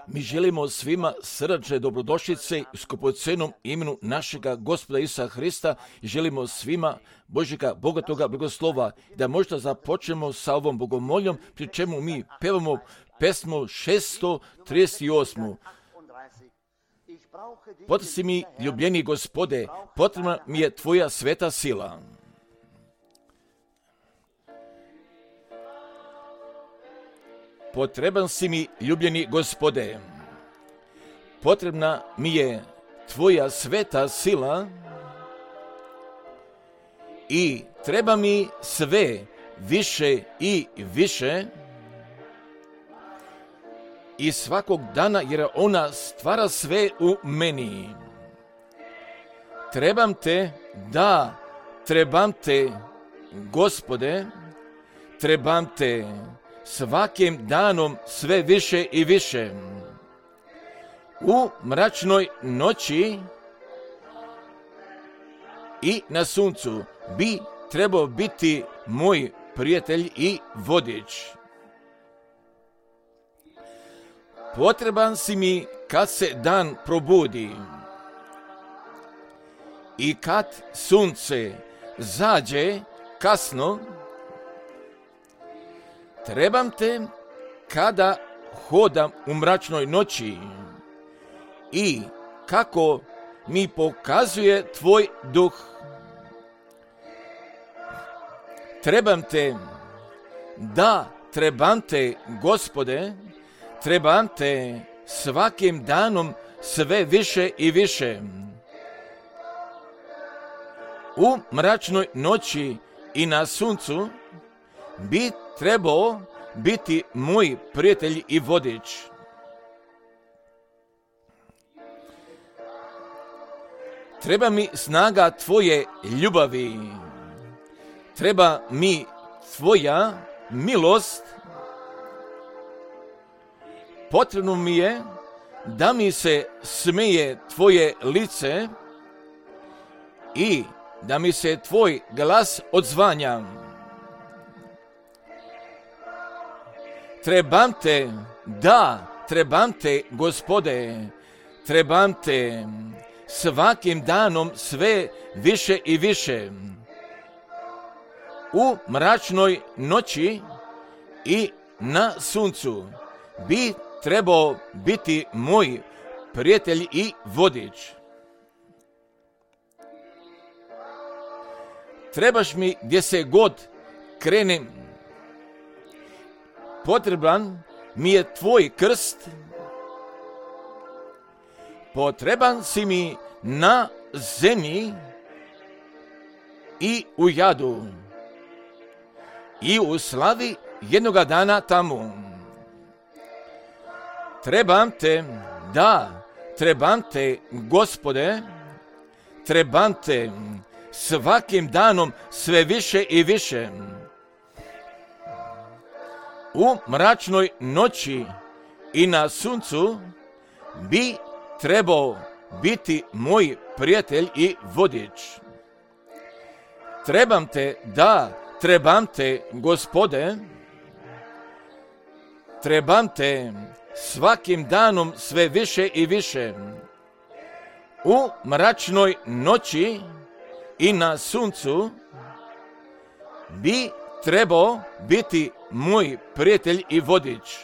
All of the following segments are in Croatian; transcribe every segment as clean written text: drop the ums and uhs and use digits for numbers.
Mi želimo svima srdačne dobrodošlice u skupocenom imenu našega Gospoda Isusa Hrista i želimo svima Božjega bogatoga blagoslova da možda započnemo sa ovom bogomoljom, pri čemu mi pevamo pesmu 638. Potresi mi, ljubljeni Gospode, potrebna mi je Tvoja sveta sila. Potreban si mi, ljubljeni Gospode, potrebna mi je Tvoja sveta sila i treba mi sve više i više i svakog dana, jer ona stvara sve u meni. Trebam te, da, trebam te, Gospode, trebam te svakim danom sve više i više. U mračnoj noći i na suncu bi trebao biti moj prijatelj i vodič. Potreban si mi kad se dan probudi i kad sunce zađe kasno. Trebam te kada hodam u mračnoj noći i kako mi pokazuje Tvoj duh. Trebam te, da, trebam te, Gospode, trebam te svakim danom sve više i više. U mračnoj noći i na suncu bi trebao biti moj prijatelj i vodič. Treba mi snaga Tvoje ljubavi. Treba mi Tvoja milost. Potrebno mi je da mi se smeje Tvoje lice i da mi se Tvoj glas odzvanja. Trebam te, da, trebam te, Gospode, trebam te svakim danom sve više i više. U mračnoj noći i na suncu bi trebao biti moj prijatelj i vodič. Trebaš mi gdje se god krenem. Potreban mi je Tvoj krst. Potreban si mi na zemlji i u jadu i u slavi jednoga dana tamo. Trebam te, da, trebam te, Gospode, trebam te svakim danom sve više i više. U mračnoj noći i na suncu bi trebao biti moj prijatelj i vodič. Trebam te, da, trebam te, Gospode, trebam te svakim danom sve više i više. U mračnoj noći i na suncu bi trebao biti moj prijatelj i vodič.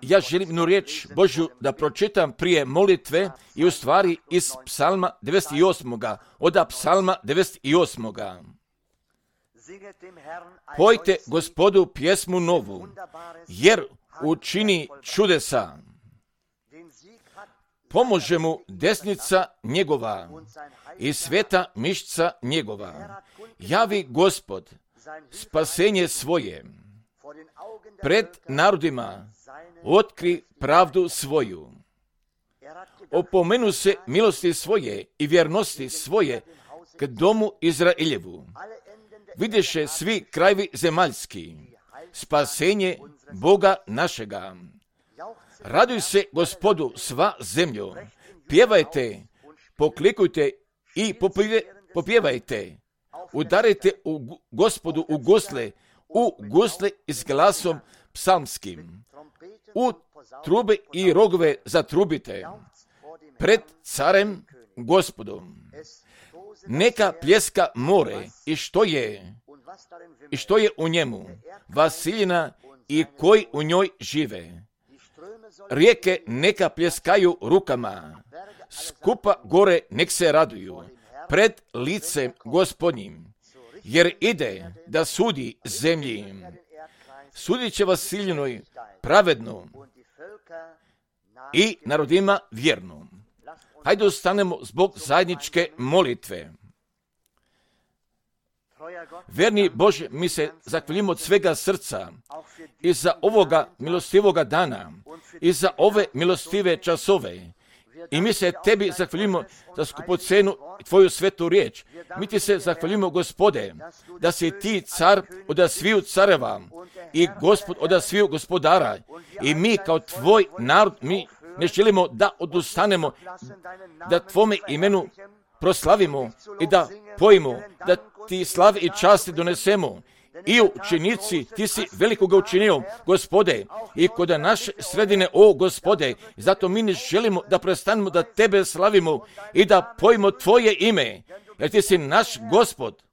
Ja želim jednu riječ Božju da pročitam prije molitve i u stvari iz psalma 98. Od psalma 98. Pojte Gospodu pjesmu novu, jer učini čudesa. Pomože mu desnica njegova i sveta mišca njegova. Javi Gospod spasenje svoje. Pred narodima otkri pravdu svoju. Opomenu se milosti svoje i vjernosti svoje k domu Izraeljevu. Vidješe svi krajevi zemaljski spasenje Boga našega. Raduj se Gospodu sva zemljo, pjevajte, poklikujte i popjevajte, udarajte u Gospodu u gusle, u gusle i s glasom psalmskim, u trube i rogove zatrubite, pred carem Gospodom. Neka pljeska more i što je u njemu, Vasiljina i koji u njoj žive. Rijeke neka pljeskaju rukama, skupa gore nek se raduju, pred licem Gospodnjim, jer ide da sudi zemlji. Sudit će Vasiljinoj pravedno i narodima vjerno. Hajde ostanemo zbog zajedničke molitve. Verni Bože, mi se zahvaljujemo od svega srca i za ovoga milostivoga dana i za ove milostive časove. I mi se tebi zahvaljujemo za skupocenu tvoju svetu riječ. Mi ti se zahvaljujemo, Gospode, da si ti car od sviju careva i Gospod od sviju gospodara. I mi kao tvoj narod, mi ne želimo da odustanemo, da tvome imenu proslavimo i da pojmo, da ti slave i časti donesemo. I učenici, ti si velikoga učinio, Gospode, i kod naše sredine, o Gospode, zato mi ne želimo da prestanemo da tebe slavimo i da pojmo tvoje ime, jer ti si naš Gospod.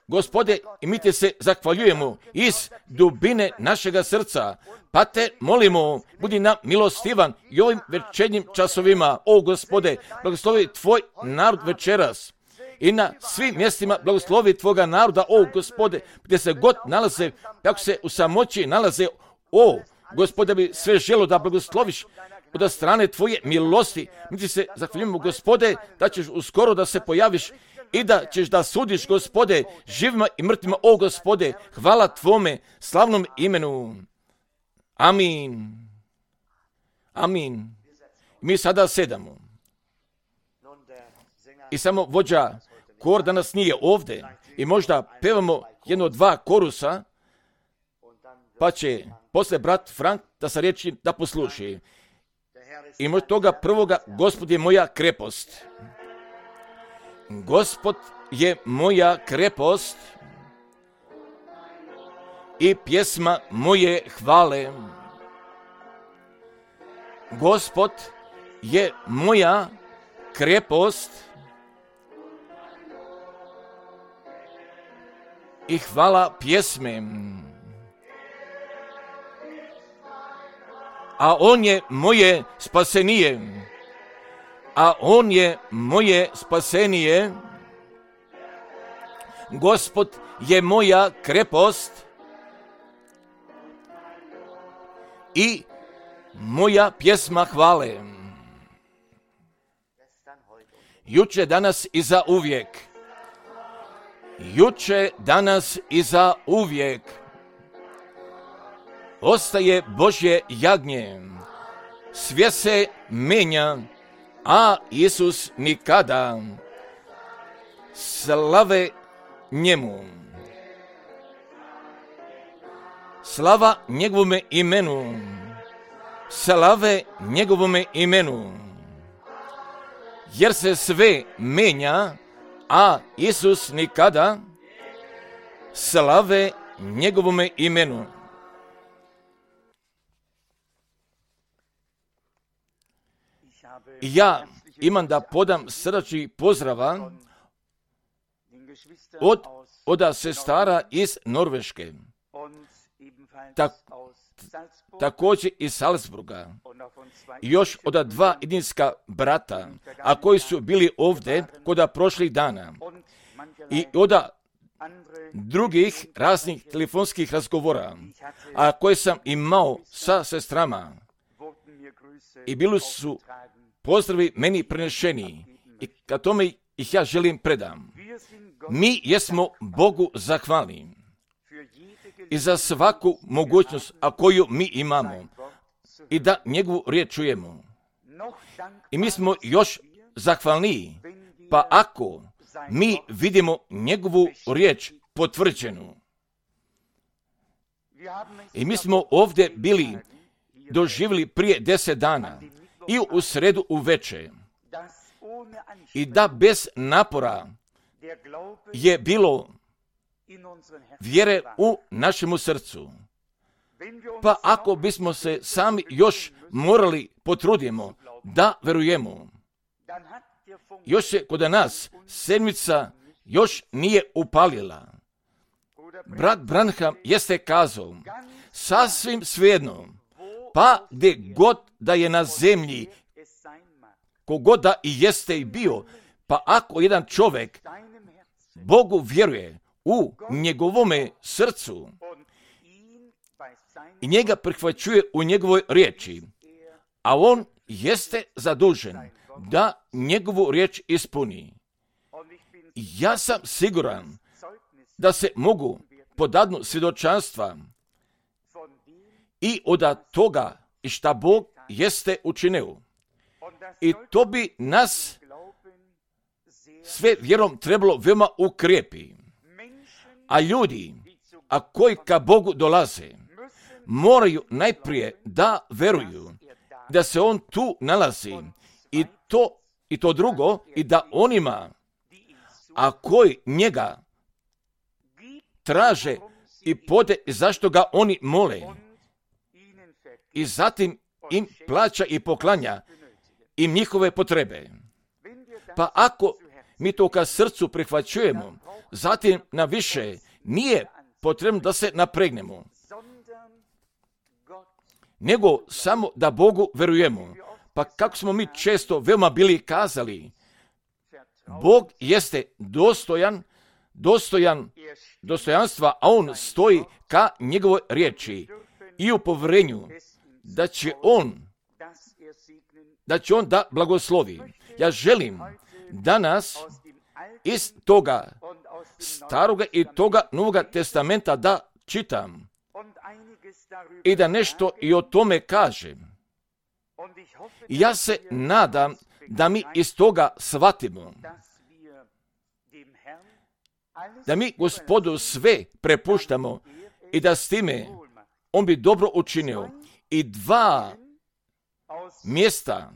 Gospode, i mi ti se zahvaljujemo iz dubine našega srca, pa te molimo, budi nam milostivan i ovim večernjim časovima, o Gospode, blagoslovi tvoj narod večeras. I na svim mjestima blagoslovi tvoga naroda, o Gospode, gdje se god nalaze, kako se u samoći nalaze, o Gospode, bi sve želo da blagosloviš od strane tvoje milosti. Mi ti se zahvaljujemo, Gospode, da ćeš uskoro da se pojaviš i da ćeš da sudiš, Gospode, živima i mrtvima, o Gospode, hvala tvome slavnom imenu. Amin. Amin. Mi sada sedamo. I samo vođa kor danas nije ovdje i možda pevamo jedno dva korusa, pa će poslije brat Frank da se riječi da posluši. I možda toga prvoga, Gospod je moja krepost. Gospod je moja krepost i pjesma moje hvale. Gospod je moja krepost i hvala pjesme. A on je moje spasenije. A on je moje spasenije. Gospod je moja krepost i moja pjesma hvale. Juče, danas i za uvijek. Juče, danas i za uvijek. Ostaje Božje jagnje. Sve se menja, a Isus nikada. Slave njemu. Slava njegovome imenu. Slave njegovome imenu. Jer se sve menja, a Isus nikada. Slave njegovome imenu. Ja imam da podam srdačni pozdrava od sestara iz Norveške, također iz Salzburga, još od dva jedinska brata, a koji su bili ovdje kod prošlih dana, i od drugih raznih telefonskih razgovora, a koje sam imao sa sestrama, i bili su pozdravi meni prenešeni, i ka tome ih ja želim predam. Mi jesmo Bogu zahvalni i za svaku mogućnost, a koju mi imamo, i da njegovu riječ čujemo. I mi smo još zahvalniji, pa ako mi vidimo njegovu riječ potvrđenu. I mi smo ovdje bili doživjeli prije 10 dana i u sredu uveče, i da bez napora je bilo vjere u našemu srcu. Pa ako bismo se sami još morali potrudimo da verujemo, još se kod nas sedmica još nije upalila. Brat Branham jeste kazao, sasvim svejedno, pa gdje god da je na zemlji, kogod da i jeste i bio, pa ako jedan čovjek Bogu vjeruje u njegovome srcu i njega prihvaćuje u njegovoj riječi, a on jeste zadužen da njegovu riječ ispuni. Ja sam siguran da se mogu podadnu svjedočanstva i od toga i šta Bog jeste učinio. I to bi nas sve vjerom trebalo veoma ukrijepi. A ljudi, a koji ka Bogu dolaze, moraju najprije da veruju da se on tu nalazi i to drugo, i da onima, a koji njega traže i pode zašto ga oni mole, i zatim im plaća i poklanja im njihove potrebe. Pa ako mi to ka srcu prihvaćujemo, zatim na više nije potrebno da se napregnemo, nego samo da Bogu verujemo. Pa kako smo mi često veoma bili kazali, Bog jeste dostojanstva, a on stoji ka njegovoj riječi i u povjerenju da će on da blagoslovi. Ja želim danas iz toga staroga i toga Novoga testamenta da čitam i da nešto i o tome kažem. I ja se nadam da mi iz toga shvatimo, da mi Gospodu sve prepuštamo i da s time on bi dobro učinio. I 2 mjesta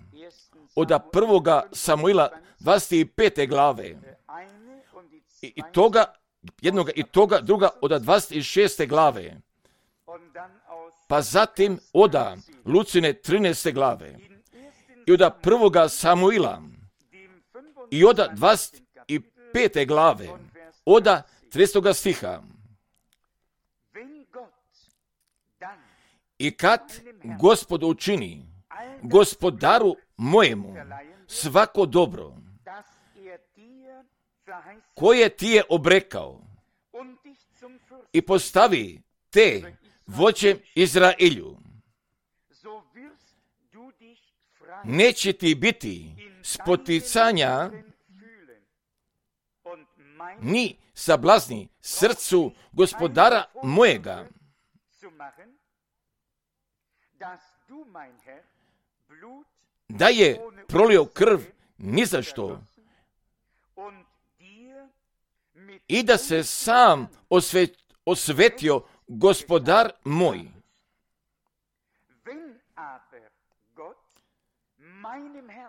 od 1. Samuila 25. glave i toga jednoga i toga druga od 26. glave, pa zatim od Lucine 13. glave i od 1. Samuila i od 25. glave od 30. stiha. I kad Gospod učini gospodaru mojemu svako dobro koje ti je obrekao i postavi te vođem Izraelju, neće ti biti spoticanja ni sablazni srcu gospodara mojega, da je prolio krv ni za što i da se sam osvetio gospodar moj.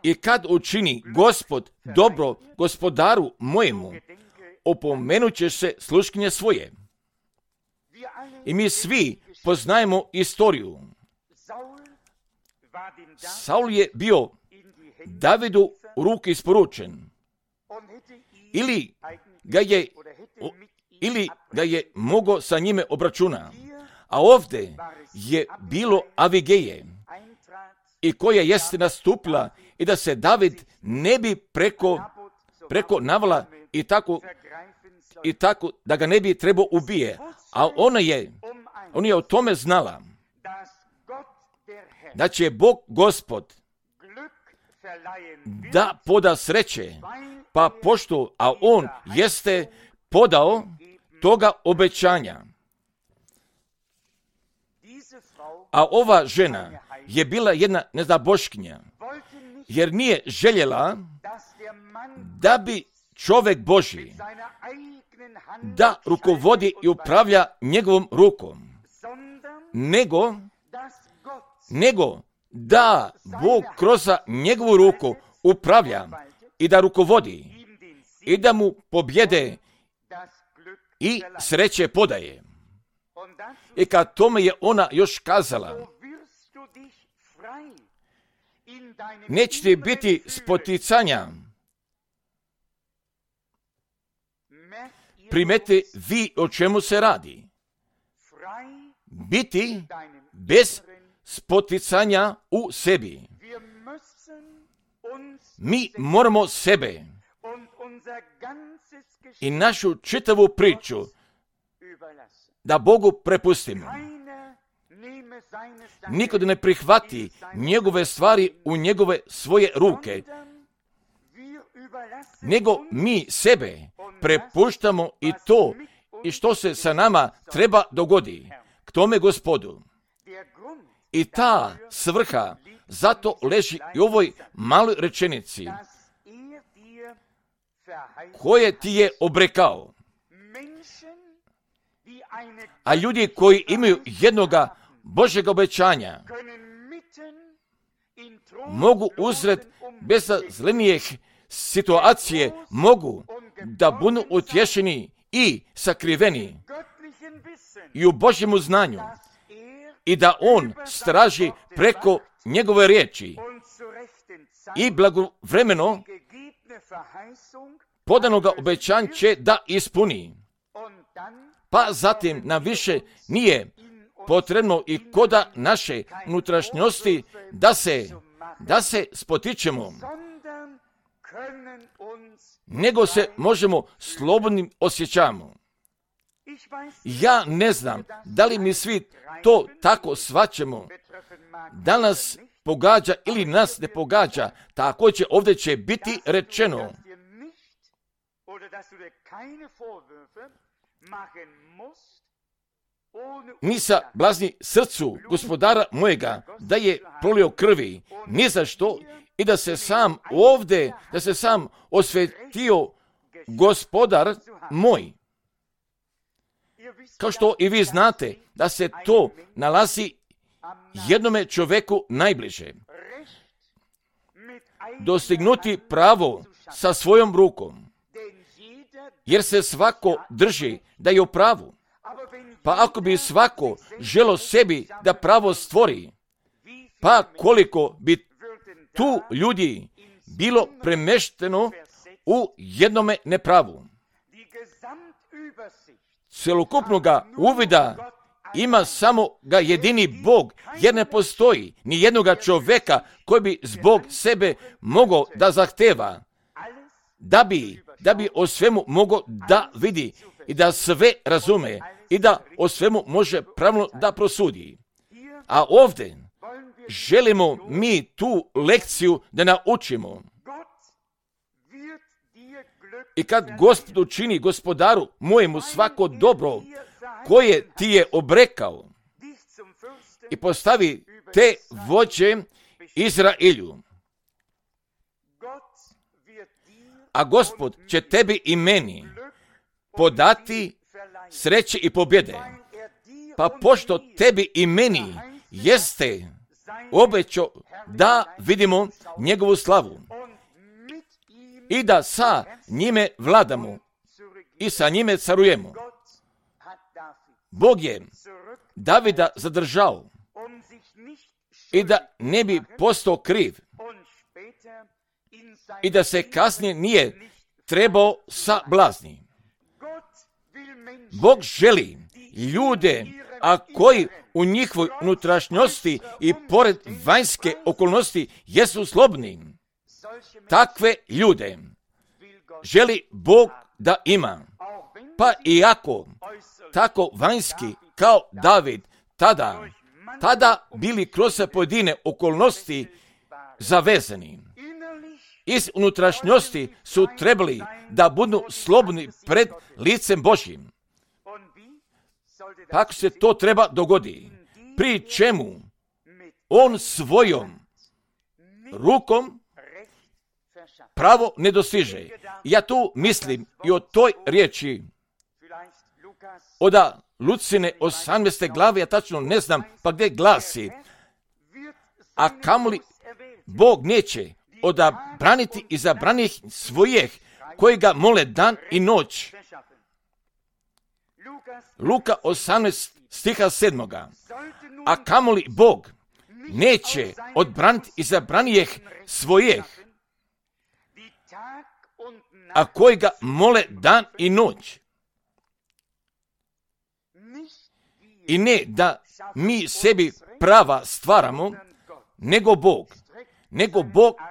I kad učini Gospod dobro gospodaru mojemu, opomenut će se sluškinje svoje. I mi svi poznajemo istoriju. Saul je bio Davidu u ruke isporučen. Ili ga je mogao sa njime obračuna. A ovdje je bilo Avigeje, i koja jeste nastupila i da se David ne bi preko navala i tako da ga ne bi trebao ubije. A ona je o tome znala da će Bog Gospod da poda sreće, pa pošto, a on jeste podao toga obećanja. A ova žena je bila jedna neznaboškinja, jer nije željela da bi čovjek Božji da rukovodi i upravlja njegovom rukom, nego da Bog kroz njegovu ruku upravlja i da rukovodi i da mu pobjede i sreće podaje. I kad tome je ona još kazala, neće ti biti spoticanja. Primete vi o čemu se radi. Biti bez spoticanja u sebi. Mi moramo sebe i našu čitavu priču da Bogu prepustimo. Niko da ne prihvati njegove stvari u njegove svoje ruke, nego mi sebe prepuštamo i to i što se sa nama treba dogodi k tome Gospodu. I ta svrha zato leži i u ovoj maloj rečenici koje ti je obrekao. A ljudi koji imaju jednoga Božjega obećanja mogu usred bezazlenijih situacije mogu da budu utješeni i sakriveni i u Božjemu znanju i da on straži preko njegove riječi i blagovremeno podanoga obećanja će da ispuni. Pa zatim nam više nije potrebno i koda naše unutrašnjosti da se spotičemo, nego se možemo slobodnim osjećamo. Ja ne znam da li mi svi to tako shvaćamo, da nas pogađa ili nas ne pogađa, tako će ovdje će biti rečeno. Nisa blazni srcu gospodara mojega da je prolio krvi, ni za što, i da se sam ovdje, da se sam osvetio gospodar moj. Kao što i vi znate da se to nalazi jednome čovjeku najbliže. Dostignuti pravo sa svojom rukom, jer se svako drži da je u pravu. Pa ako bi svako želo sebi da pravo stvori, pa koliko bi tu ljudi bilo premešteno u jednome nepravu. Celokupnoga uvida ima samo ga jedini Bog, jer ne postoji ni jednoga čovjeka koji bi zbog sebe mogao da zahteva, da bi o svemu mogao da vidi i da sve razume i da o svemu može pravilno da prosudi. A ovdje želimo mi tu lekciju da naučimo. I kad Gospod učini gospodaru mojemu svako dobro koje ti je obrekao i postavi te vođe Izraelju, a Gospod će tebi i meni podati sreće i pobjede. Pa pošto tebi i meni jeste obećao da vidimo njegovu slavu i da sa njime vladamo i sa njime carujemo. Bog je Davida zadržao i da ne bi postao kriv i da se kasnije nije trebao sablazni. Bog želi ljude, a koji u njihovoj unutrašnjosti i pored vanjske okolnosti jesu slobodni. Takve ljude želi Bog da ima. Pa iako tako vanjski kao David tada bili kroz pojedine okolnosti zavezani. Iz unutrašnjosti su trebali da budu slobodni pred licem Božjim. Kako se to treba dogodi? Pri čemu on svojom rukom pravo ne dostiže. Ja tu mislim i o toj riječi od Lucine 18. glave, ja tačno ne znam pa gdje glasi, a kamoli Bog neće odabraniti i zabranih svojih koji ga mole dan i noć. Luka 18 stiha 7. A kamoli Bog neće odbraniti izabranijeh svojih, a koji ga mole dan i noć. I ne da mi sebi prava stvaramo, nego Bog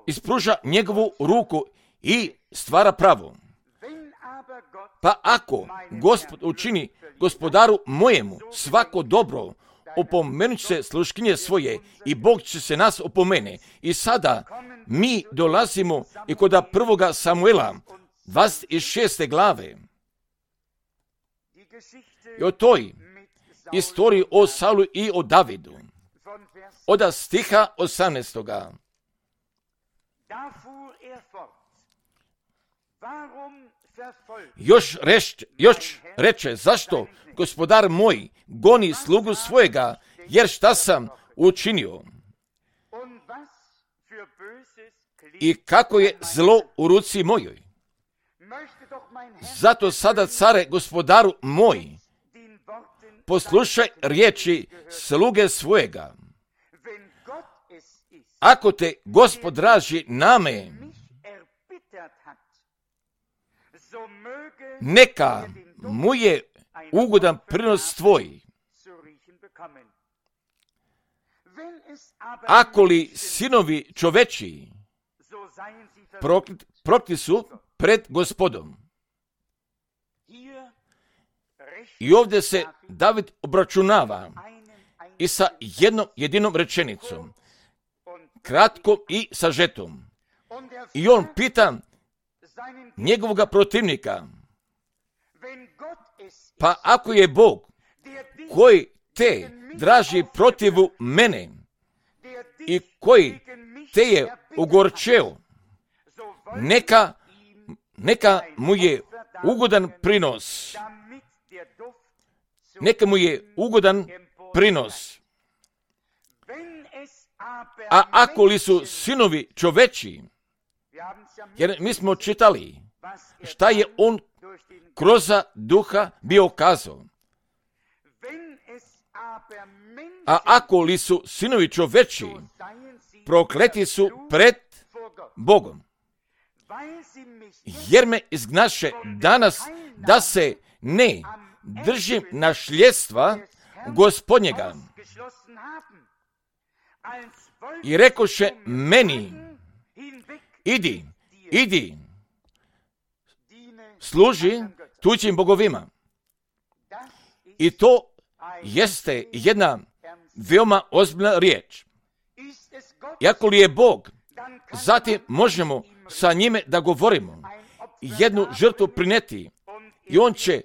ispruža njegovu ruku i stvara pravo. Pa ako Gospod učini gospodaru mojemu svako dobro, opomenut će se sluškinje svoje i Bog će se nas opomene. I sada mi dolazimo i kod 1. Samuela 26. glave. I o toj istoriji o Saulu i o Davidu. Od stiha 18. Još reče, zašto gospodar moj goni slugu svojega, jer šta sam učinio? I kako je zlo u ruci mojoj? Zato sada, care, gospodaru moj, poslušaj riječi sluge svojega. Ako te Gospod draži name, neka mu je ugodan prinos tvoj. Ako li sinovi čoveči prokleti su pred Gospodom. I ovdje se David obračunava i sa jednom jedinom rečenicom, kratkom i sažetom. I on pita njegovoga protivnika, pa ako je Bog koji te draži protivu mene i koji te je ogorčeo, neka mu je ugodan prinos. Neka mu je ugodan prinos. A ako li su sinovi čoveči, jer mi smo čitali šta je on kroz duha bio kazao. A ako li su sinovi čoveči, prokleti su pred Bogom. Jer me izgnaše danas da se ne držim našljedstva Gospodnjega. I rekoše meni, idi, služi tuđim bogovima. I to jeste jedna veoma ozbiljna riječ. Iako li je Bog, zatim možemo sa njime da govorimo, jednu žrtvu prineti i on će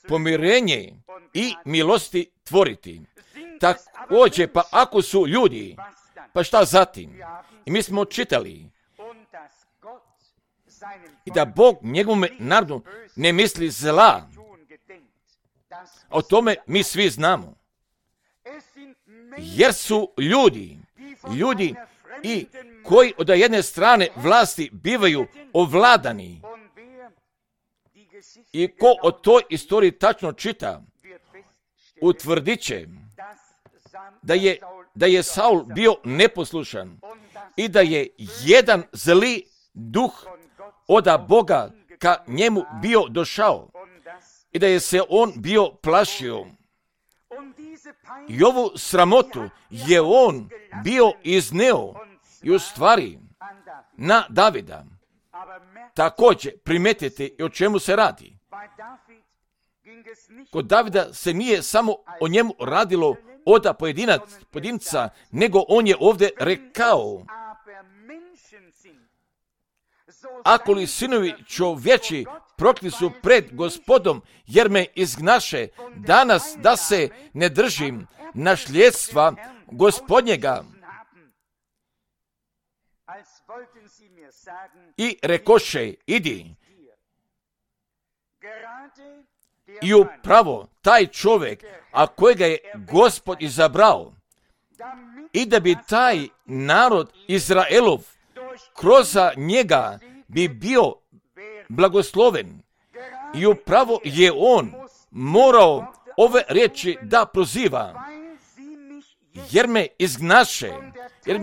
pomirenje i milosti tvoriti. Također, pa ako su ljudi, pa šta zatim? I mi smo čitali i da Bog njegovome narodu ne misli zla. O tome mi svi znamo. Jer su ljudi i koji od jedne strane vlasti bivaju ovladani. I ko o toj istoriji tačno čita, utvrdit će da je Saul bio neposlušan i da je jedan zli duh od Boga ka njemu bio došao i da je se on bio plašio. I ovu sramotu je on bio izneo i u stvari na Davida. Također primetite i o čemu se radi. Kod Davida se nije samo o njemu radilo od pojedinca, nego on je ovdje rekao, ako li sinovi čovječi prokleti su pred Gospodom, jer me izgnaše danas da se ne držim našljedstva Gospodnjega. I rekoše, idi. I upravo taj čovjek, a kojega je Gospod izabrao, i da bi taj narod Izraelov kroz njega bi bio blagosloven. I upravo je on morao ove riječi da proziva, jer me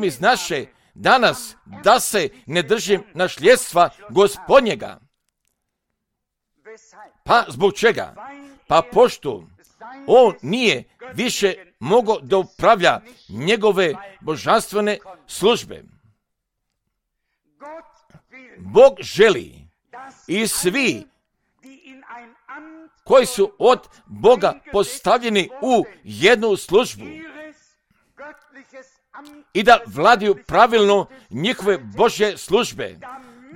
izgnaše danas da se ne držim našljedstva Gospodnjega. Pa zbog čega? Pa pošto on nije više mogao da upravlja njegove božanstvene službe. Bog želi i svi koji su od Boga postavljeni u jednu službu i da vladaju pravilno njihove Božje službe,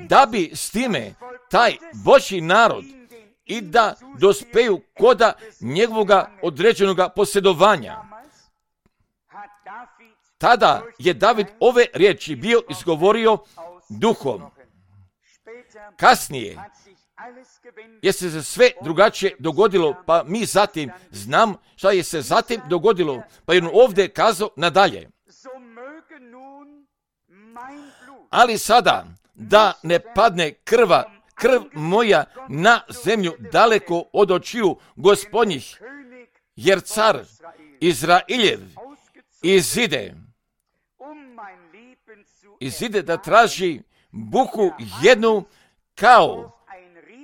da bi s time taj Božji narod i da dospeju koda njegovoga određenoga posjedovanja. Tada je David ove riječi bio izgovorio duhom. Kasnije je se sve drugačije dogodilo, pa mi zatim znam šta je se zatim dogodilo, pa je on ovdje kazao nadalje. Ali sada da ne padne krv moja na zemlju daleko od očiju Gospodnjih, jer car Izraeljev izide da traži buku jednu kao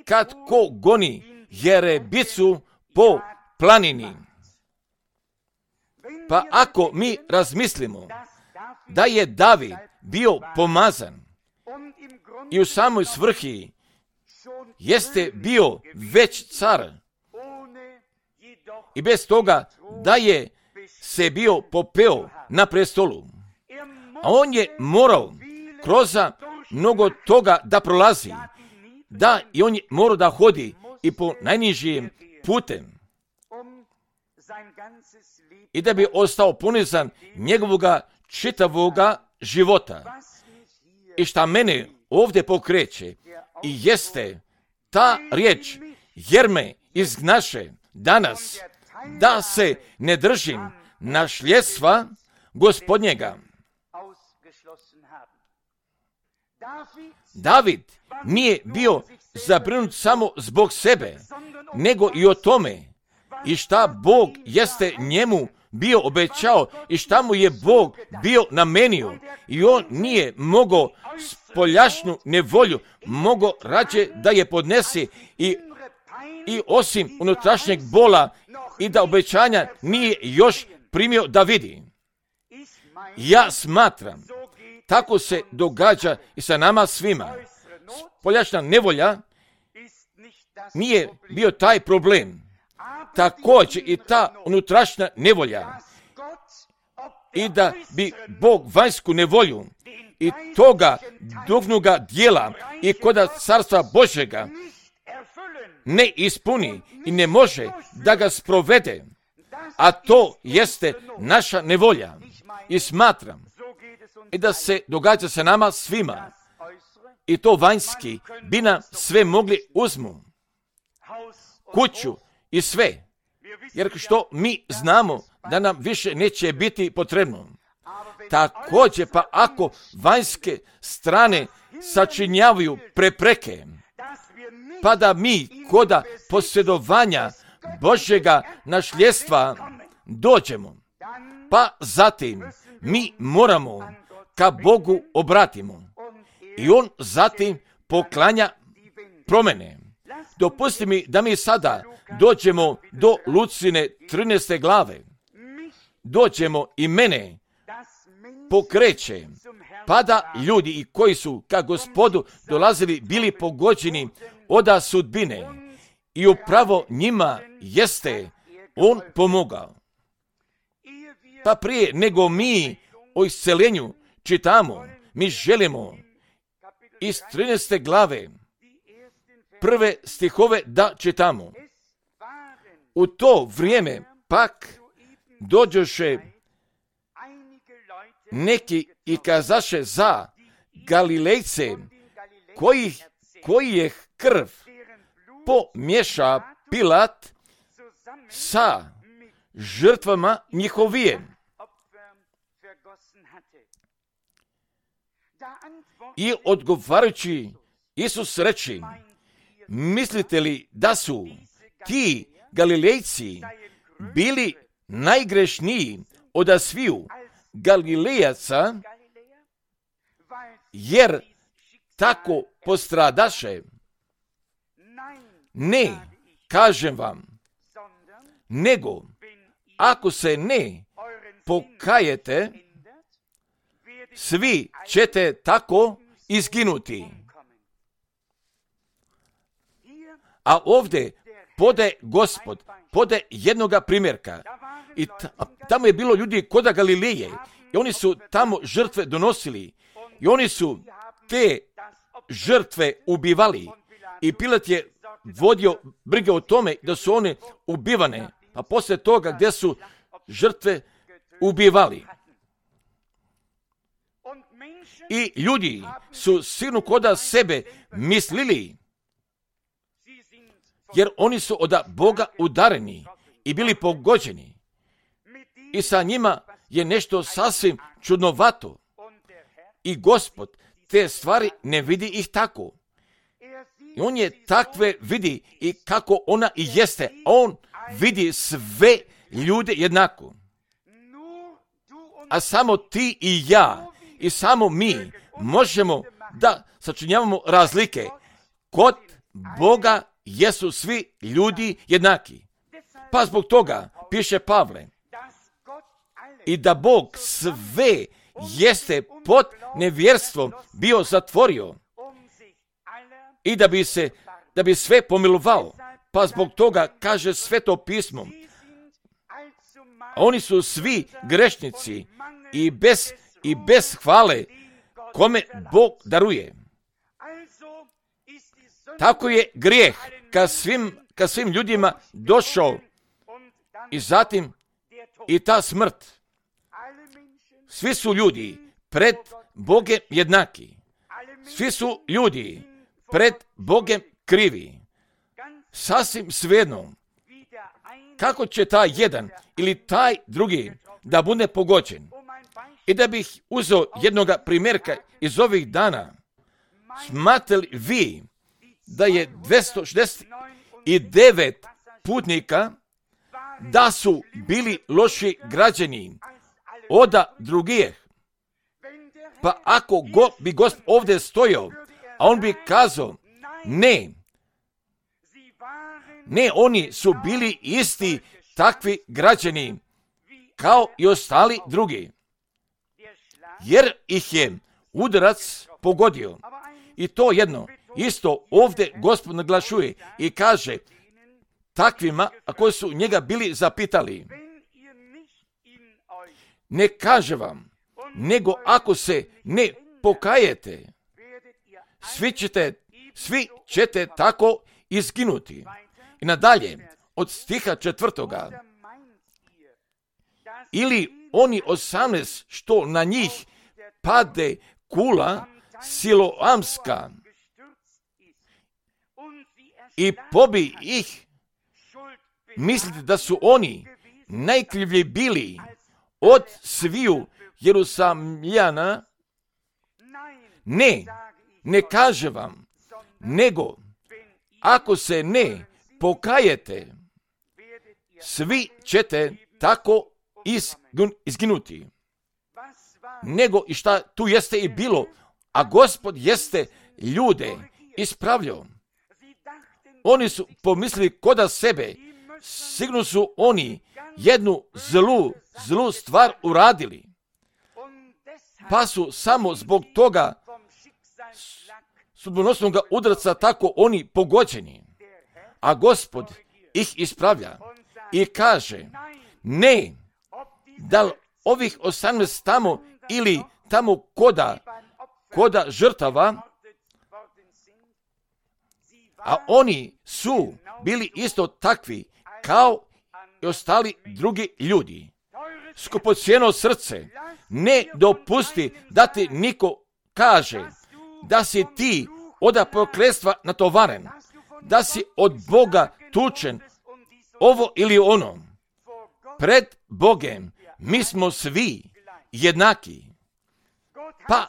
kad ko goni jerebicu po planini. Pa ako mi razmislimo da je David bio pomazan i u samoj svrhi jeste bio već car i bez toga da je se bio popeo na prestolu, a on je morao kroz mnogo toga da prolazi, da i on je morao da hodi i po najnižim putem i da bi ostao ponizan njegovoga čitavoga života. I šta mene ovdje pokreće i jeste ta riječ, jer me izgnaše danas da se ne držim našljedstva Gospodnjega. David nije bio zabrinut samo zbog sebe, nego i o tome i šta Bog jeste njemu bio obećao i šta mu je Bog bio namenio, i on nije mogao spoljašnju nevolju, mogao rađe da je podnesi i osim unutrašnjeg bola i da obećanja nije još primio da vidi. Ja smatram, tako se događa i sa nama svima. Spoljašnja nevolja nije bio taj problem. Također i ta unutrašnja nevolja. I da bi Bog vanjsku nevolju i toga duhovnoga dijela i koda carstva Božjega ne ispuni i ne može da ga sprovede, a to jeste naša nevolja. I smatram i da se događa sa nama svima, i to vanjski bi nam sve mogli uzmu, kuću i sve, jer što mi znamo da nam više neće biti potrebno. Također pa ako vanjske strane sačinjavaju prepreke, pa da mi koda posjedovanja Božjega našljedstva dođemo, pa zatim mi moramo ka Bogu obratimo i on zatim poklanja promjene. Dopusti mi da mi sada dođemo do Lucine 13. glave. Dođemo i mene pokreće, pa da ljudi i koji su ka Gospodu dolazili bili pogođeni oda sudbine i upravo njima jeste on pomogao. Pa prije nego mi o isceljenju čitamo, mi želimo iz 13. glave prve stihove da čitamo. U to vrijeme pak dođoše neki i kazaše za Galilejce koji je krv pomješa Pilat sa žrtvama njihovijem. I odgovarajući Isus reči, mislite li da su ti Galilejci bili najgrešniji od sviju Galilejaca, jer tako postradaše. Ne, kažem vam, nego ako se ne pokajete, svi ćete tako izginuti. A ovdje Gospod pode jednoga primjerka. I tamo je bilo ljudi koda Galileje. I oni su tamo žrtve donosili. I oni su te žrtve ubivali. I Pilat je vodio brige o tome da su one ubivane. Pa poslije toga gdje su žrtve ubivali. I ljudi su sigurno koda sebe mislili, jer oni su od Boga udareni i bili pogođeni. I sa njima je nešto sasvim čudnovato. I Gospod te stvari ne vidi ih tako. I on je takve vidi i kako ona i jeste. On vidi sve ljude jednako. A samo ti i ja i samo mi možemo da sačinjavamo razlike. Kod Boga jesu svi ljudi jednaki. Pa zbog toga piše Pavle i da Bog sve jeste pod nevjerstvom bio zatvorio i da bi sve pomilovao. Pa zbog toga kaže Sveto pismo, oni su svi grešnici i bez hvale kome Bog daruje. Tako je grijeh ka svim ljudima došao i zatim i ta smrt. Svi su ljudi pred Bogem jednaki. Svi su ljudi pred Bogem krivi. Sasvim svejedno kako će taj jedan ili taj drugi da bude pogođen. I da bih uzeo jednoga primjerka iz ovih dana, smatrali vi da je 269 putnika da su bili loši građani od drugih? Pa ako bi Gospod ovdje stojao, a on bi kazao, ne, oni su bili isti takvi građani kao i ostali drugi, jer ih je udarac pogodio. I to jedno isto ovdje Gospod naglašuje i kaže takvima, a koji su njega bili zapitali, ne kaže vam, nego ako se ne pokajete, svi ćete tako izginuti. I nadalje, od stiha 4. Ili oni 18 što na njih pade kula siloamska i pobi ih, mislite da su oni najkrivlji bili od sviju Jerusalimljana? Ne kaže vam, nego ako se ne pokajete, svi ćete tako izginuti. Nego i šta tu jeste i bilo, a Gospod jeste ljude ispravljao. Oni su pomislili koda sebe, sigurno su oni jednu zlu stvar uradili, pa su samo zbog toga sudbonosnog udarca tako oni pogođeni. A Gospod ih ispravlja i kaže, ne, da li ovih 18 tamo ili tamo koda žrtava, a oni su bili isto takvi kao i ostali drugi ljudi. Skupocjeno srce, ne dopusti da ti niko kaže da si ti od prokletstva natovaren, da si od Boga tučen, ovo ili ono. Pred Bogem mi smo svi jednaki. Pa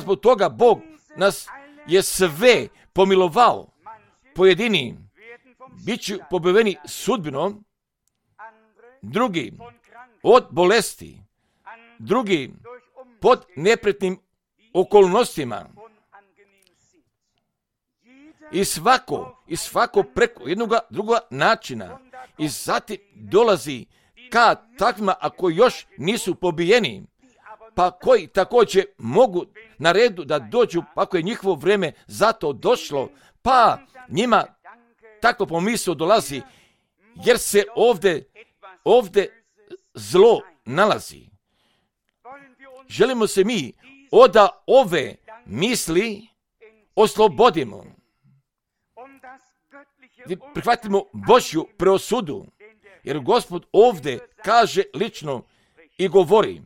zbog toga Bog nas je sve pomilovao. Pojedini bit će pobiveni sudbinom, drugi od bolesti, drugi pod neprijatnim okolnostima. I svako preko jednog drugoga načina. I zatim dolazi ka takvima, ako još nisu pobijeni, pa koji također mogu na redu da dođu, ako je njihovo vrijeme za to došlo, pa njima takvo pomisao dolazi, jer se ovdje zlo nalazi. Želimo se mi od ove misli oslobodimo. Prihvatimo Božju preosudu, jer Gospod ovdje kaže lično i govori: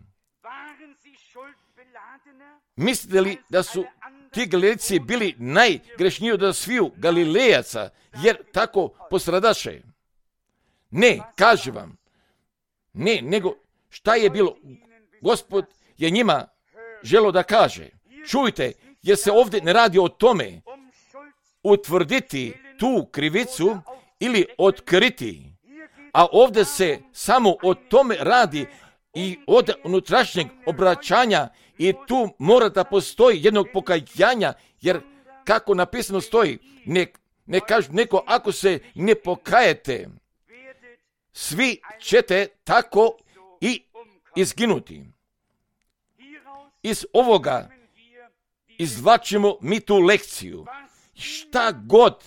mislite li da su ti Galilejci bili najgrešniji od sviju Galilejaca, jer tako postradaše? Ne, kaže vam. Ne, nego šta je bilo? Gospod je njima želio da kaže: čujte, jer se ovdje ne radi o tome utvrditi tu krivicu ili otkriti, a ovdje se samo o tome radi i od unutrašnjeg obraćanja, i tu mora da postoji jednog pokajanja, jer kako napisano stoji, ne kaže neko, ako se ne pokajete, svi ćete tako i izginuti. Iz ovoga izvlačimo mi tu lekciju. Šta god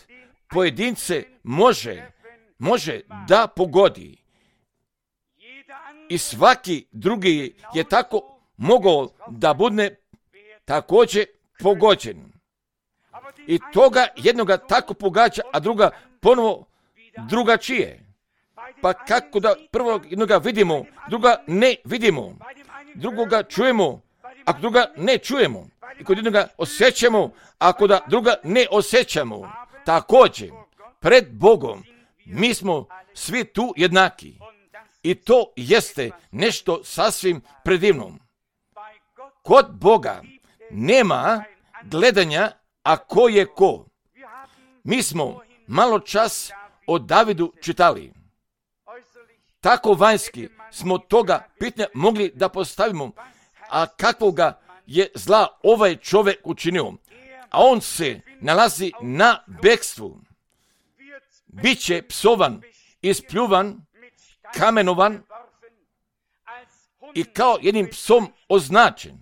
pojedince može da pogodi, i svaki drugi je tako mogao da bude također pogođen. I toga jednoga tako pogađa, a druga ponovo drugačije. Pa kako da prvog jednoga vidimo, druga ne vidimo, drugoga čujemo, a druga ne čujemo. I kod jednoga osjećamo, a kod druga ne osjećamo. Također, pred Bogom mi smo svi tu jednaki. I to jeste nešto sasvim predivno. Kod Boga nema gledanja, a ko je ko. Mi smo malo čas o Davidu čitali. Tako vanjski smo toga pitanja mogli da postavimo, a kakvoga je zla ovaj čovjek učinio. A on se nalazi na bekstvu. Biće psovan, ispljuvan, kamenovan i kao jednim psom označen.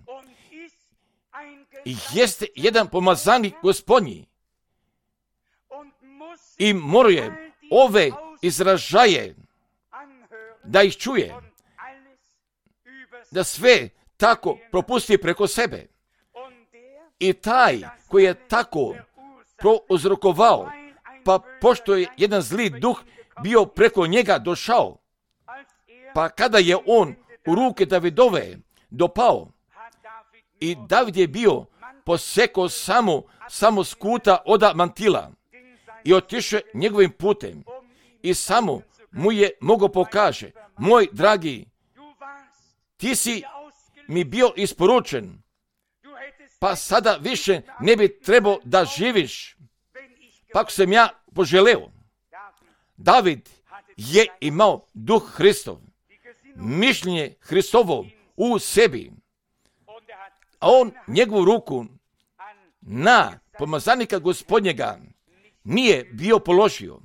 I jeste jedan pomazanik Gospodnji. I moruje ove izražaje da ih čuje, da sve tako propusti preko sebe. I taj koji je tako prouzrokovao, pa pošto je jedan zli duh bio preko njega došao, pa kada je on u ruke Davidove dopao, i David je bio posekao samo skuta od mantila i otišao njegovim putem, i samo mu je mogao pokaže: moj dragi, ti si mi bio isporučen, pa sada više ne bi trebao da živiš, pa ako sam ja poželeo. David je imao duh Hristov, mišljenje Hristovo u sebi, a on njegovu ruku na pomazanika Gospodnjega nije bio položio.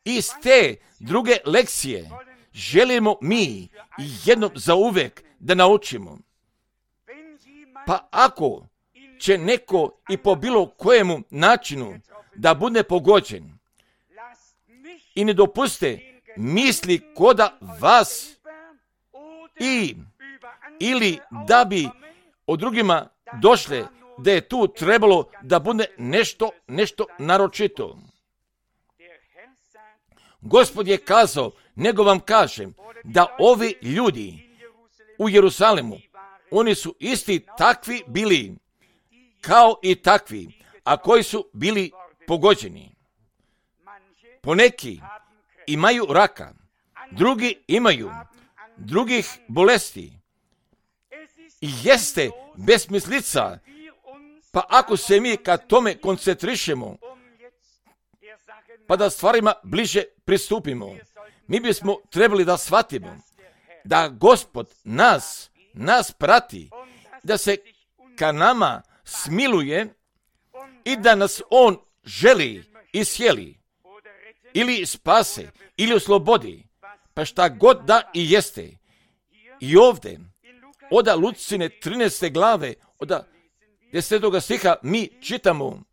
Iz te druge lekcije želimo mi jednom zauvek da naučimo. Pa ako će neko i po bilo kojemu načinu da bude pogođen, i ne dopuste misli koda vas ili da bi od drugima došle da je tu trebalo da bude nešto naročito. Gospod je kazao, nego vam kažem, da ovi ljudi u Jerusalimu, oni su isti takvi bili kao i takvi, a koji su bili pogođeni. Poneki imaju raka, drugi imaju drugih bolesti. I jeste besmislica, pa ako se mi ka tome koncentrišemo, pa da stvarima bliže pristupimo. Mi bismo trebali da shvatimo da Gospod nas prati, da se ka nama smiluje i da nas On želi iscijeli ili spase ili oslobodi, pa šta god da i jeste. I ovdje, od Lucine 13. glave, od 10. stiha mi čitamo,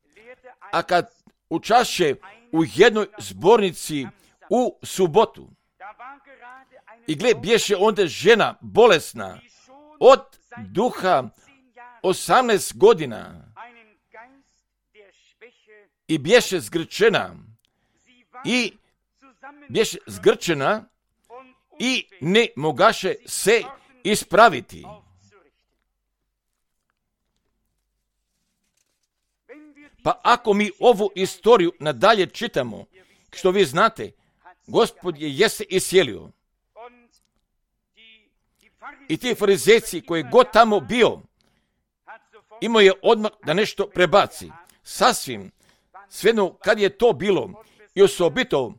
a kad učašće u jednoj zbornici u subotu, i gle, bješe onda žena bolesna od duha 18 godina i bješe zgrčena i ne mogaše se ispraviti. Pa ako mi ovu istoriju nadalje čitamo, što vi znate, Gospod je jeste iscijelio. I ti farizejci koji god tamo bio, imao je odmah da nešto prebaci. Sasvim, svejedno kad je to bilo, i osobito,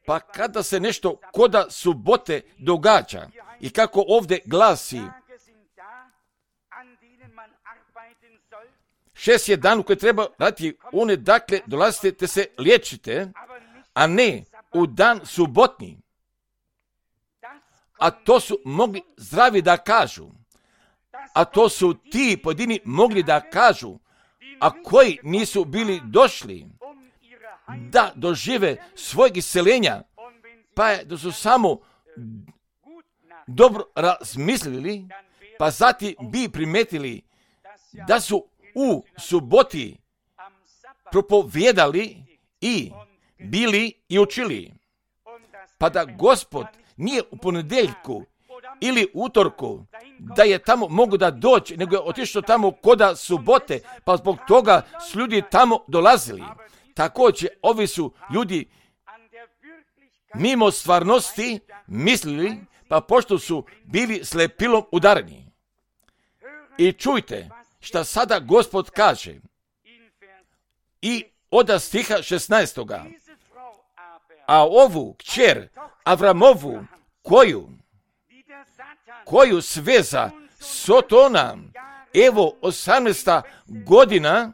pa kada se nešto koda subote događa, i kako ovdje glasi, 6 je dan u koji treba raditi, one dakle dolazite te se liječite, a ne u dan subotni. A to su mogli zdravi da kažu, a to su ti pojedini mogli da kažu, a koji nisu bili došli da dožive svojeg isceljenja, pa da su samo dobro razmislili, pa zatim bi primetili da su u suboti propovijedali i bili i učili. Pa da Gospod nije u ponedjeljku ili utorku da je tamo mogu da doći, nego je otišao tamo koda subote, pa zbog toga su ljudi tamo dolazili. Također, ovi su ljudi mimo stvarnosti mislili, pa pošto su bili slepilom udareni. I čujte šta sada Gospod kaže. I od stiha 16. A ovu kćer Avramovu, koju sveza Sotona, evo 18. godina,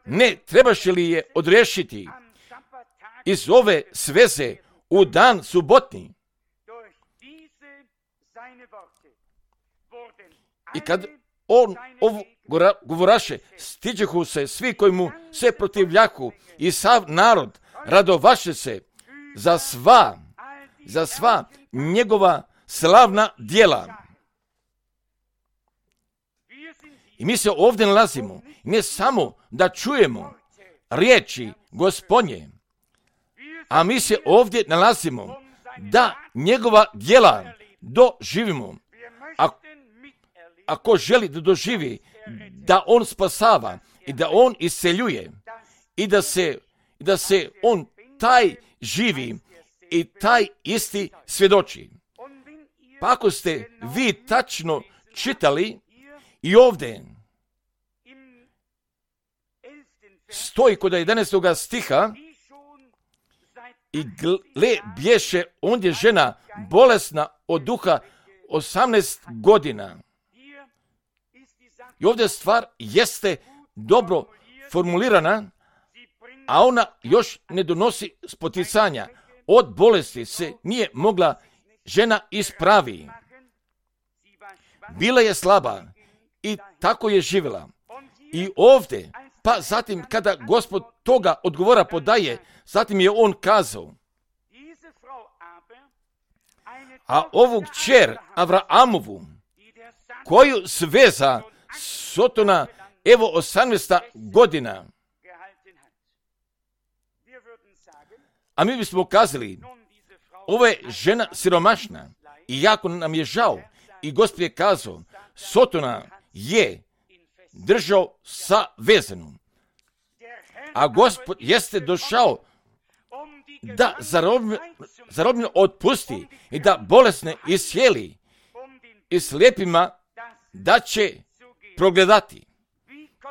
ne trebaše li je odrešiti iz ove sveze u dan subotni? I kad on ovo govoraše, stiđehu se svi koji mu se protivljaku i sav narod radovaše se za sva njegova slavna djela. I mi se ovdje nalazimo, ne samo da čujemo riječi Gospodnje, a mi se ovdje nalazimo da njegova djela doživimo. Ako želi da doživi da on spasava i da on isceljuje i da se on taj živi i taj isti svjedoči. Pa ako ste vi tačno čitali i ovdje stoji kod 11. stiha i gle bješe ondje žena bolesna od duha 18 godina. I ovdje stvar jeste dobro formulirana, a ona još ne donosi spoticanja. Od bolesti se nije mogla žena ispravi. Bila je slaba i tako je živjela. I ovdje, pa zatim kada Gospod toga odgovora podaje, zatim je on kazao, a ovu kćer Avraamovu, koju sveza Sotona, evo 18. godina. A mi bismo kazali, ovo je žena siromašna i jako nam je žao. I Gospod je kazao, Sotona je držao sa vezenom. A Gospod jeste došao da zarobljeno otpusti i da bolesne iscijeli i slijepima da će progledati.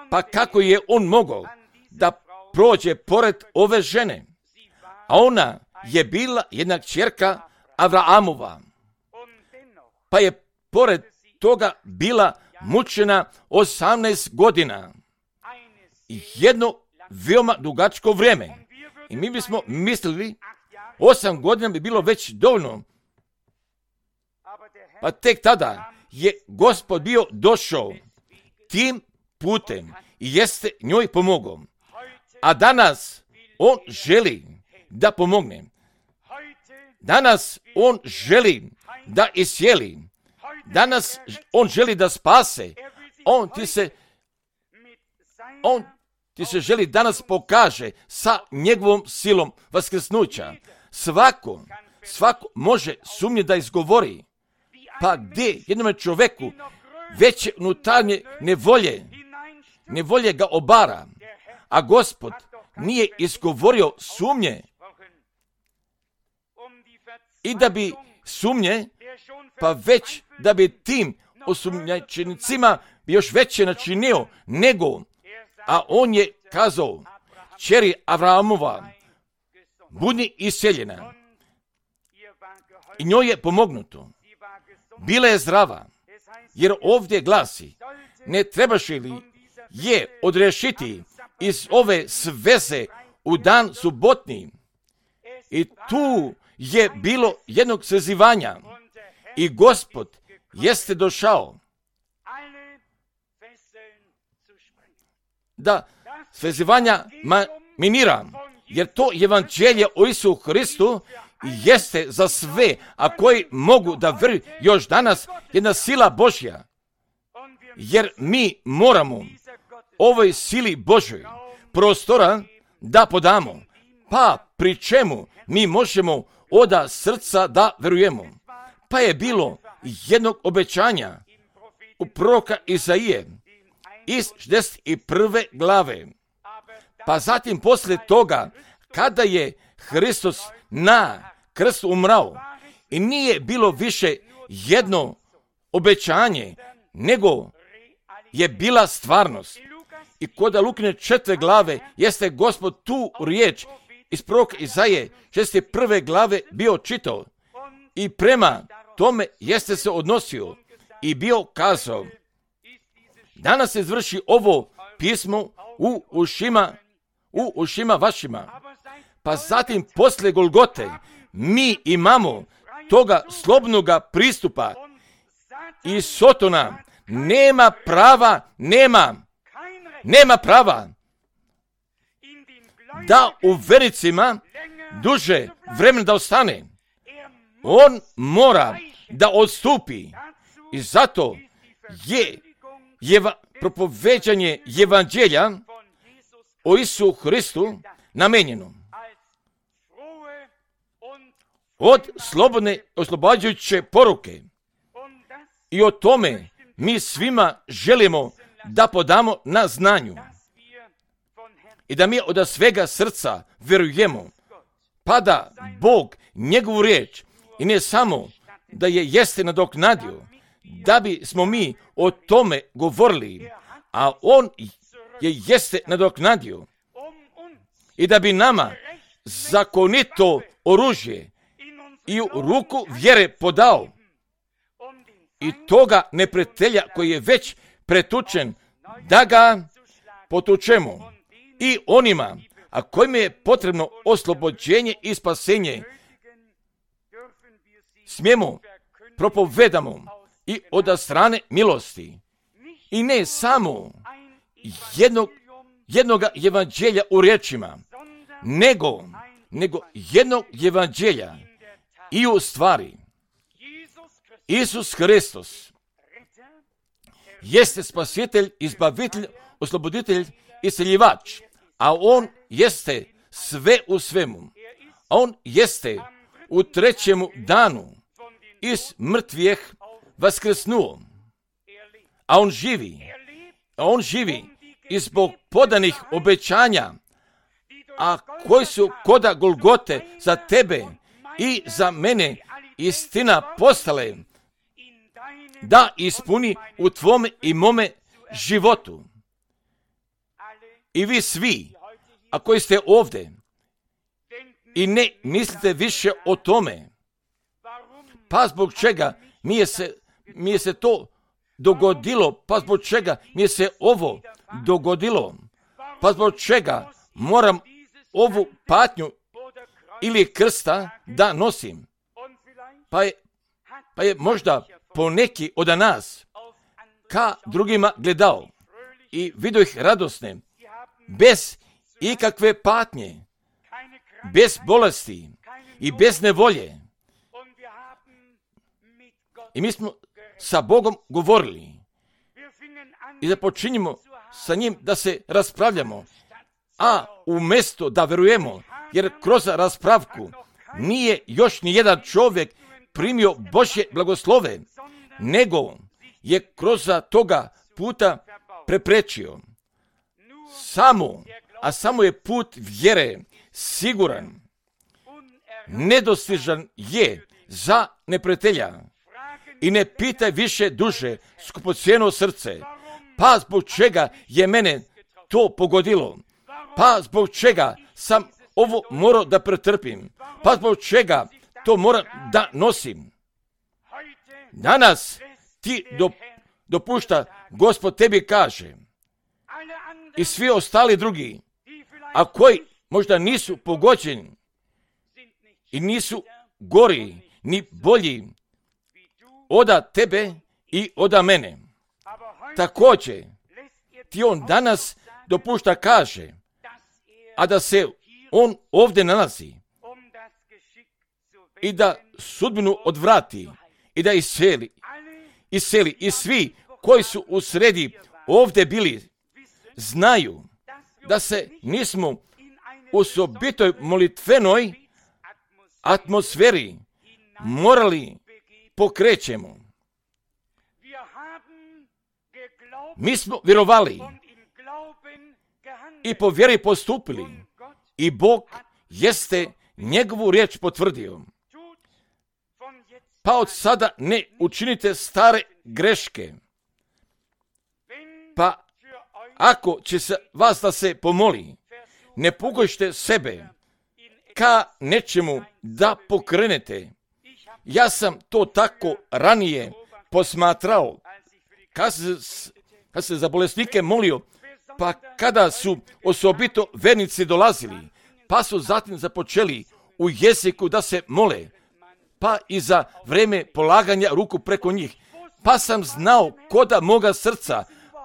Pa kako je on mogao da prođe pored ove žene, a ona je bila jedna kćerka Avraamova, pa je pored toga bila mučena 18 godina. Jedno veoma dugačko vrijeme. I mi bismo mislili 8 godina bi bilo već dovoljno. Pa tek tada je Gospod bio došao tim putem i jeste njoj pomogao. A danas on želi da pomogne. Danas on želi da iscijeli. Danas on želi da spase. On ti se želi danas pokaže sa njegovom silom vaskrsnuća. Svako može sumnje da izgovori. Pa gdje jednome čovjeku veće unutarnje nevolje ga obara, a Gospod nije izgovorio sumnje. I da bi sumnje, pa već da bi tim osumnjičenicima još veće načinio nego, a on je kazao, kćeri Avraamova, budi iseljena. I njoj je pomognuto. Bila je zdrava, jer ovdje glasi, ne trebaš li je odrešiti iz ove sveze u dan subotni. I tu je bilo jednog svezivanja i Gospod jeste došao da svezivanja minira, jer to evanđelje o Isusu Hristu jeste za sve, a koji mogu da vjeruju još danas jedna sila Božja. Jer mi moramo ovoj sili Božoj prostora da podamo, pa pri čemu mi možemo od srca da verujemo. Pa je bilo jednog obećanja u proroka Izaije iz 61. glave. Pa zatim poslije toga, kada je Hristos na krstu umrao i nije bilo više jedno obećanje, nego je bila stvarnost. I kod Lukine 4. glave jeste Gospod tu riječ iz proroka Izaije 61. glave bio čitao i prema tome jeste se odnosio i bio kazao, danas se izvrši ovo pismo u ušima vašima. Pa zatim poslije Golgote mi imamo toga slobodnoga pristupa i Sotona nema prava da u vericima duže vremena da ostane. On mora da odstupi i zato je propoveđanje evanđelja o Isusu Hristu namenjeno. Od slobodne oslobađajuće poruke. I o tome mi svima želimo da podamo na znanju. I da mi od svega srca verujemo. Pa da Bog njegovu riječ i ne samo da je jeste nadoknadio, da bi smo mi o tome govorili, a on je jeste nadoknadio i da bi nama zakonito oružje i u ruku vjere podao i toga neprijatelja koji je već pretučen, da ga potučemo i onima, a kojima je potrebno oslobođenje i spasenje, smijemo propovedamo i od strane milosti. I ne samo jednog evanđelja u riječima, nego jednog evanđelja i u stvari. Isus Hristos jeste spasitelj, izbavitelj, osloboditelj, isceljivač, a on jeste sve u svemu. A on jeste u 3. danu iz mrtvih vaskrsnuo. A on živi i zbog podanih obećanja, a koji su koda Golgote za tebe i za mene istina postale, da ispuni u tvome i mome životu. I vi svi a koji ste ovdje i ne mislite više o tome, pa zbog čega mi je se to dogodilo, pa zbog čega mi je se ovo dogodilo, pa zbog čega moram ovu patnju ili krsta da nosim. Pa je možda poneki od nas ka drugima gledao i vidio ih radosne, bez ikakve patnje, bez bolesti i bez nevolje. I mi smo sa Bogom govorili i započinjemo sa njim da se raspravljamo, a umjesto da verujemo, jer kroz raspravku nije još ni jedan čovjek primio Božje blagoslove, nego je kroz toga puta preprečio. Samo je put vjere siguran, nedostižan je za neprijatelja. I ne pitaj više duže skupocjeno srce, pa zbog čega je mene to pogodilo, pa zbog čega sam ovo morao da pretrpim, pa zbog čega to moram da nosim. Danas ti dopušta, Gospod tebi kaže, i svi ostali drugi, a koji možda nisu pogođeni i nisu gori ni bolji oda tebe i oda mene. Također ti on danas dopušta kaže, a da se on ovdje nalazi i da sudbinu odvrati i da iseli i svi koji su u sredi ovdje bili znaju da se nismo u osobitoj molitvenoj atmosferi morali pokrećemo. Mi smo vjerovali i po vjeri postupili i Bog jeste njegovu riječ potvrdio. Pa od sada ne učinite stare greške. Pa ako će se vas da se pomoli, ne pogojšte sebe ka nečemu da pokrenete. Ja sam to tako ranije posmatrao, kad se za bolesnike molio, pa kada su osobito vernici dolazili, pa su zatim započeli u jeziku da se mole, pa i za vreme polaganja ruku preko njih, pa sam znao koda moga srca,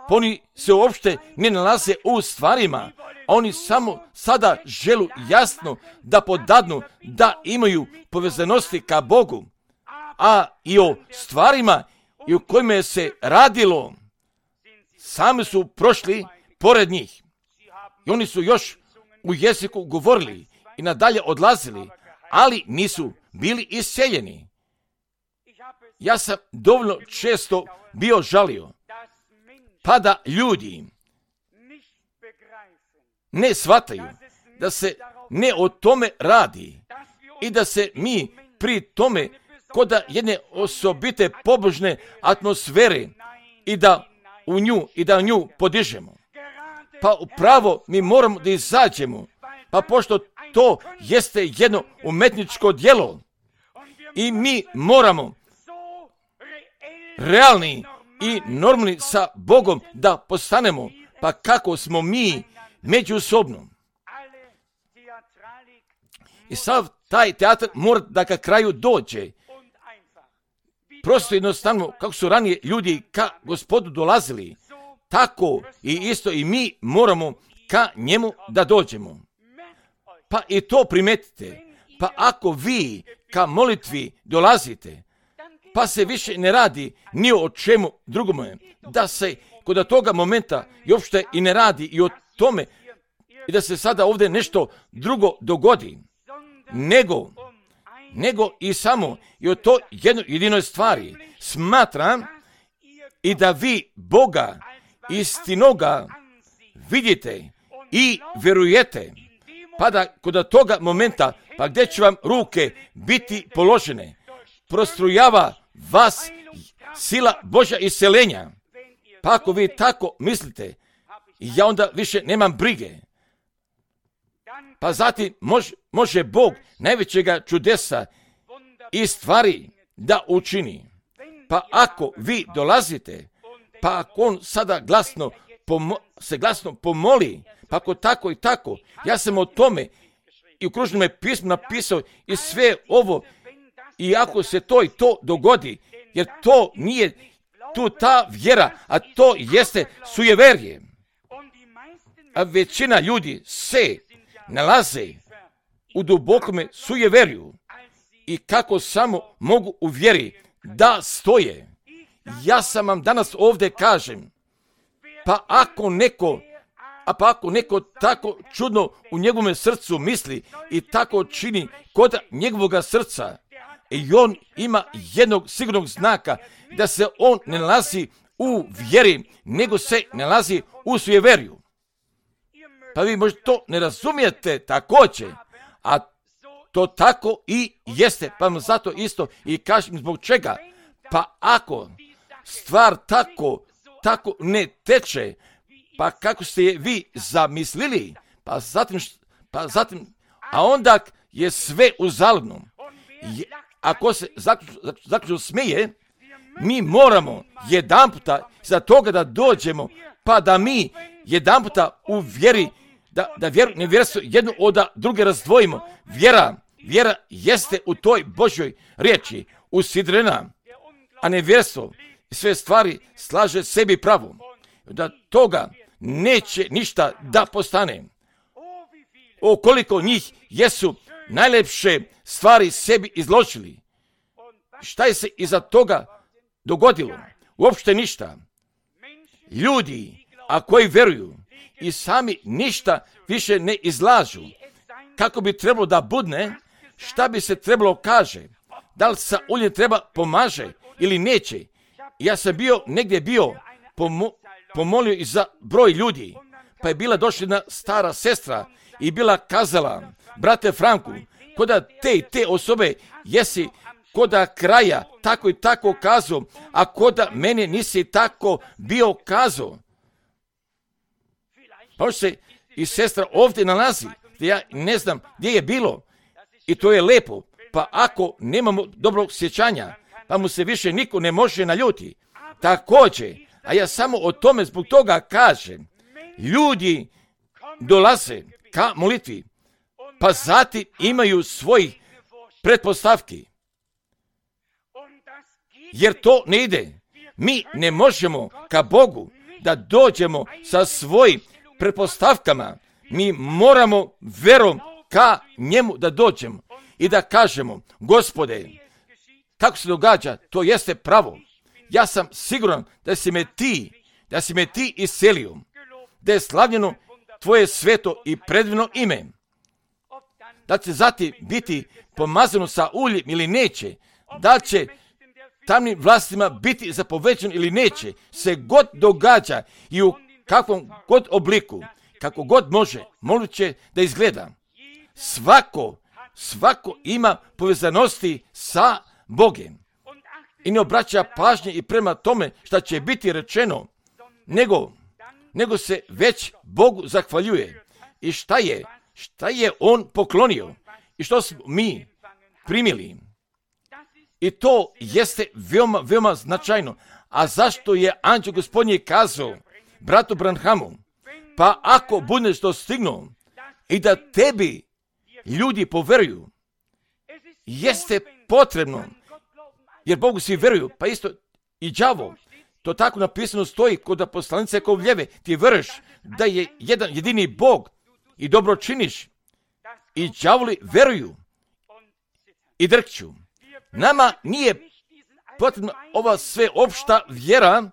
oni se uopšte ne nalaze u stvarima, a oni samo sada želu jasno da podadnu, da imaju povezanosti ka Bogu, a i o stvarima i o kojima je se radilo, sami su prošli pored njih. I oni su još u jeziku govorili i nadalje odlazili, ali nisu bili isceljeni. Ja sam dovoljno često bio žalio, pa da ljudi ne shvataju da se ne o tome radi i da se mi pri tome koda jedne osobite pobožne atmosfere i da u nju podižemo. Pa upravo mi moramo da izađemo, pa pošto to jeste jedno umetničko djelo i mi moramo realni i normalni sa Bogom da postanemo, pa kako smo mi međusobno. I sav taj teatr mora da ka kraju dođe. Prosto jednostavno, kako su ranije ljudi ka Gospodu dolazili, tako i isto i mi moramo ka njemu da dođemo. Pa i to primetite. Pa ako vi ka molitvi dolazite, pa se više ne radi ni o čemu drugome, da se kod toga momenta i uopšte i ne radi i o tome i da se sada ovdje nešto drugo dogodi, nego i samo i o to jedinoj stvari smatram i da vi Boga istinoga vidite i vjerujete, pa da kod toga momenta, pa gdje će vam ruke biti položene, prostrujava vas sila Božja isceljenja. Pa ako vi tako mislite, ja onda više nemam brige. Pa zatim može Bog najvećega čudesa i stvari da učini. Pa ako vi dolazite, pa ako on sada se glasno pomoli, pa ako tako i tako, ja sam o tome i u kružnom pismu napisao i sve ovo, i ako se to i to dogodi, jer to nije tu ta vjera, a to jeste sujeverje. A većina ljudi se nalaze u dubokome sujeverju i kako samo mogu u vjeri da stoje. Ja sam vam danas ovdje kažem, pa ako neko tako čudno u njegovom srcu misli i tako čini kod njegovoga srca, i on ima jednog sigurnog znaka da se on ne nalazi u vjeri, nego se nalazi u sujeverju. Pa vi možda to ne razumijete također, a to tako i jeste, pa vam zato isto i kažem zbog čega. Pa ako stvar tako ne teče, pa kako ste je vi zamislili, pa zatim, a onda je sve uzaludno. Ako se zaključno smije, mi moramo jedanputa za toga da dođemo, pa da mi jedanputa u vjeri, da vjeru nevjerstvo jednu od druge razdvojimo. Vjera jeste u toj Božjoj riječi usidrena, a nevjerstvo sve stvari slaže sebi pravo. Da toga neće ništa da postane. O koliko njih jesu najlepše stvari sebi izložili. Šta je se iza toga dogodilo? Uopšte ništa. Ljudi, a koji vjeruju i sami ništa više ne izlažu, kako bi trebalo da budne, šta bi se trebalo kaže, da li sa uljem treba pomaže ili neće. Ja sam negdje pomolio i za broj ljudi, pa je bila došla jedna stara sestra i bila kazala, brate Franku, koda te osobe jesi koda kraja tako i tako kazao, a koda mene nisi tako bio kazao. Pa se i sestra ovdje nalazi, gdje ja ne znam gdje je bilo, i to je lepo. Pa ako nemamo dobrog sjećanja, pa mu se više niko ne može naljuti. Također, a ja samo o tome zbog toga kažem, ljudi dolaze ka molitvi, pa zatim imaju svojih pretpostavki. Jer to ne ide. Mi ne možemo ka Bogu da dođemo sa svojim pretpostavkama. Mi moramo verom ka njemu da dođemo i da kažemo, Gospode, tako se događa, to jeste pravo. Ja sam siguran da si me ti iselio, da je slavljeno tvoje sveto i predivno ime, da će zatim biti pomazano sa uljem ili neće, da će tamnim vlastima biti zapovećeno ili neće, se god događa i u kakvom god obliku, kako god moguće da izgleda. Svako ima povezanosti sa Bogem i ne obraća pažnje i prema tome šta će biti rečeno, nego se već Bogu zahvaljuje. I šta je on poklonio i što smo mi primili. I to jeste veoma, veoma značajno. A zašto je anđeo Gospodnji kazao bratu Branhamu, pa ako budeš dostignuo i da tebi ljudi poveruju, jeste potrebno, jer Bogu svi veruju, pa isto i đavo. To tako napisano stoji kod poslanice Kovljeve, ti veruješ da je jedan jedini Bog i dobro činiš, i đavoli veruju i drkću. Nama nije potrebna ova sveopšta vjera,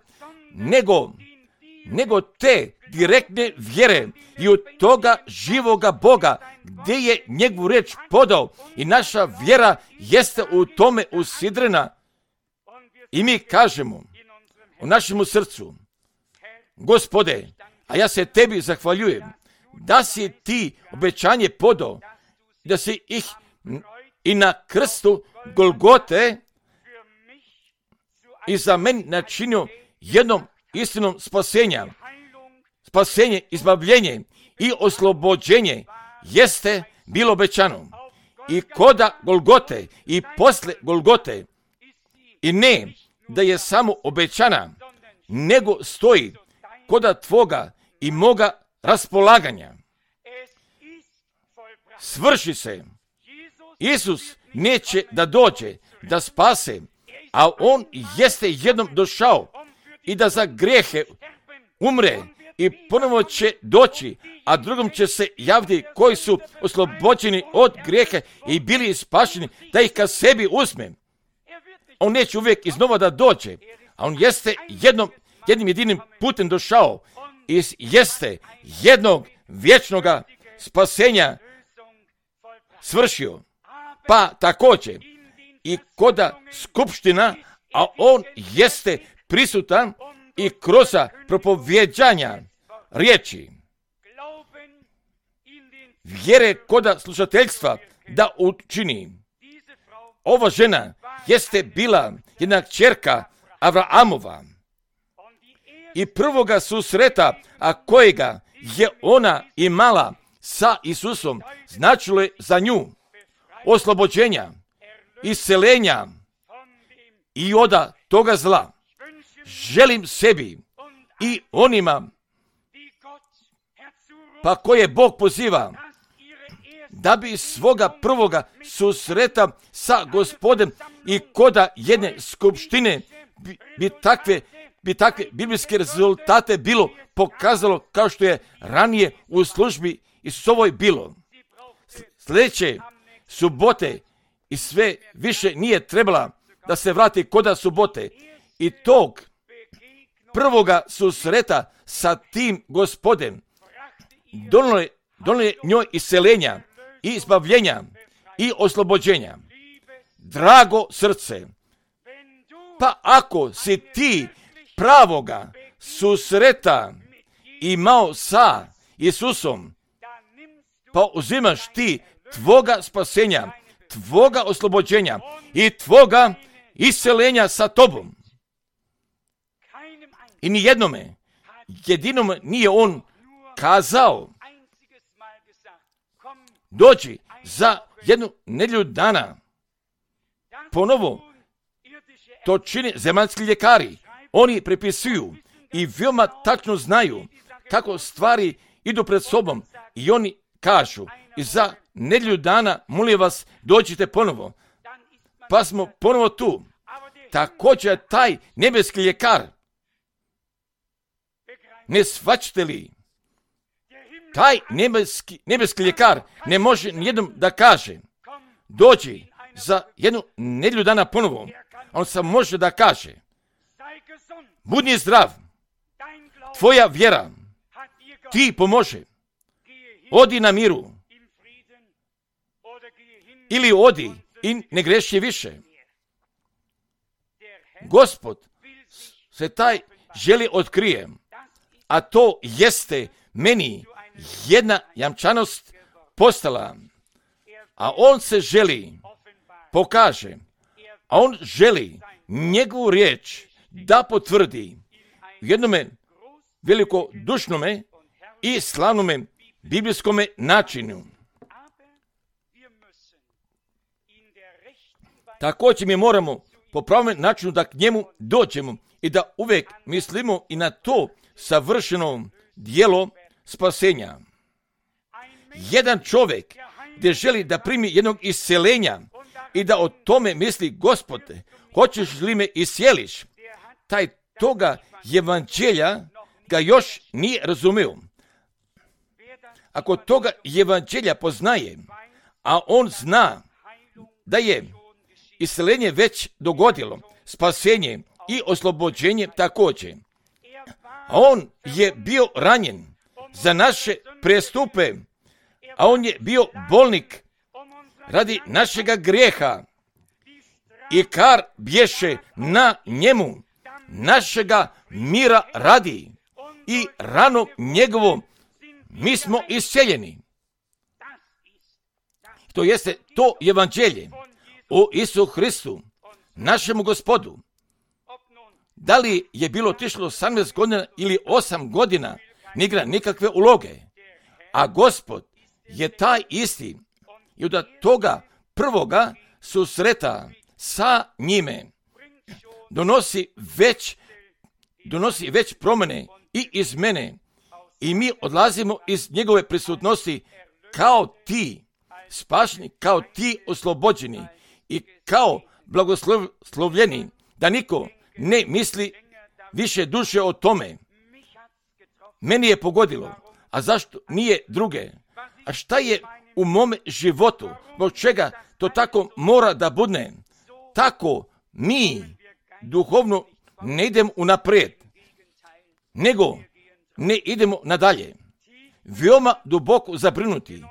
nego te direktne vjere i od toga živoga Boga, gdje je njegovu riječ podao, i naša vjera jeste u tome usidrena. I mi kažemo u našemu srcu, Gospode, a ja se tebi zahvaljujem, da si ti obećanje podao, da si ih i na krstu Golgote i za mene načinio jednom istinom spasenja, izbavljenje i oslobođenje jeste bilo obećano i koda Golgote i posle Golgote. I ne da je samo obećana, nego stoji koda tvoga i moga raspolaganja. Svrši se. Isus neće da dođe, da spase, a on jeste jednom došao i da za grijehe umre i ponovo će doći, a drugom će se javiti koji su oslobođeni od grijeha i bili spašeni, da ih ka sebi uzme. On neće uvijek iznova da dođe, a on jeste jednim jedinim putem došao i jeste jednog vječnoga spasenja svršio. Pa također i koda skupština, a on jeste prisutan i kroz propovjeđanja riječi vjere koda slušateljstva da učini. Ova žena jeste bila jedna kćerka Avraamova i prvoga susreta, a kojega je ona imala sa Isusom, značilo je za nju oslobođenja, iscelenja i od toga zla. Želim sebi i onima pa koje Bog poziva da bi svoga prvoga susreta sa Gospodem i koda jedne skupštine bi takve biblijske rezultate bilo pokazalo kao što je ranije u službi Isusovoj bilo. Sljedeće subote i sve više nije trebala da se vrati koda subote i tog prvoga susreta sa tim Gospodem donije njoj iscelenja i izbavljenja i oslobođenja. Drago srce, pa ako si ti pravoga susreta imao sa Isusom, pa uzimaš ti tvoga spasenja, tvoga oslobođenja i tvoga iscelenja sa tobom. I ni jedinome nije on kazao, dođi za jednu nedjelju dana. Ponovo, to čine zemaljski ljekari. Oni prepisuju i veoma tačno znaju kako stvari idu pred sobom. I oni kažu, i za nedjelju dana, molim vas, dođite ponovo. Pa smo ponovo tu. Također taj nebeski ljekar, ne shvaćate li? Taj nebeski ljekar ne može nijednom da kaže, dođi za jednu nedjelju dana ponovo. On samo može da kaže, budi zdrav, tvoja vjera ti pomože, odi na miru, ili odi i ne greši više. Gospod se taj želi otkrije, a to jeste meni jedna jamčanost postala, a on se želi pokaže, a on želi njegovu riječ da potvrdi u jednome velikodušnome i slavnome biblijskome načinu. Također mi moramo po pravom načinu da k njemu dođemo i da uvijek mislimo i na to savršeno djelo spasenja. Jedan čovjek gdje želi da primi jednog iscelenja i da o tome misli, Gospode, hoćeš li me iscijeliš? Taj toga evanđelja ga još nije razumio. Ako toga evanđelja poznaje, a on zna da je isceljenje već dogodilo, spasenje i oslobođenje također. A on je bio ranjen za naše prestupe, a on je bio bolnik radi našega grijeha i kar bješe na njemu, našega mira radi i rano njegovom mi smo isceljeni. To jeste to evanđelje o Isu Hristu, našemu Gospodu. Da li je bilo otišlo 18 godina ili 8 godina, ne igra nikakve uloge. A Gospod je taj isti i od toga prvoga susreta sa njime donosi već promjene i iz mene i mi odlazimo iz njegove prisutnosti kao ti spašeni, kao ti oslobođeni i kao blagoslovljeni, da niko ne misli više duše o tome. Meni je pogodilo, a zašto nije druge? A šta je u mome životu? Zbog čega to tako mora da bude? Tako mi duhovno ne idemo unaprijed, nego ne idemo nadalje. Veoma duboko zabrinuti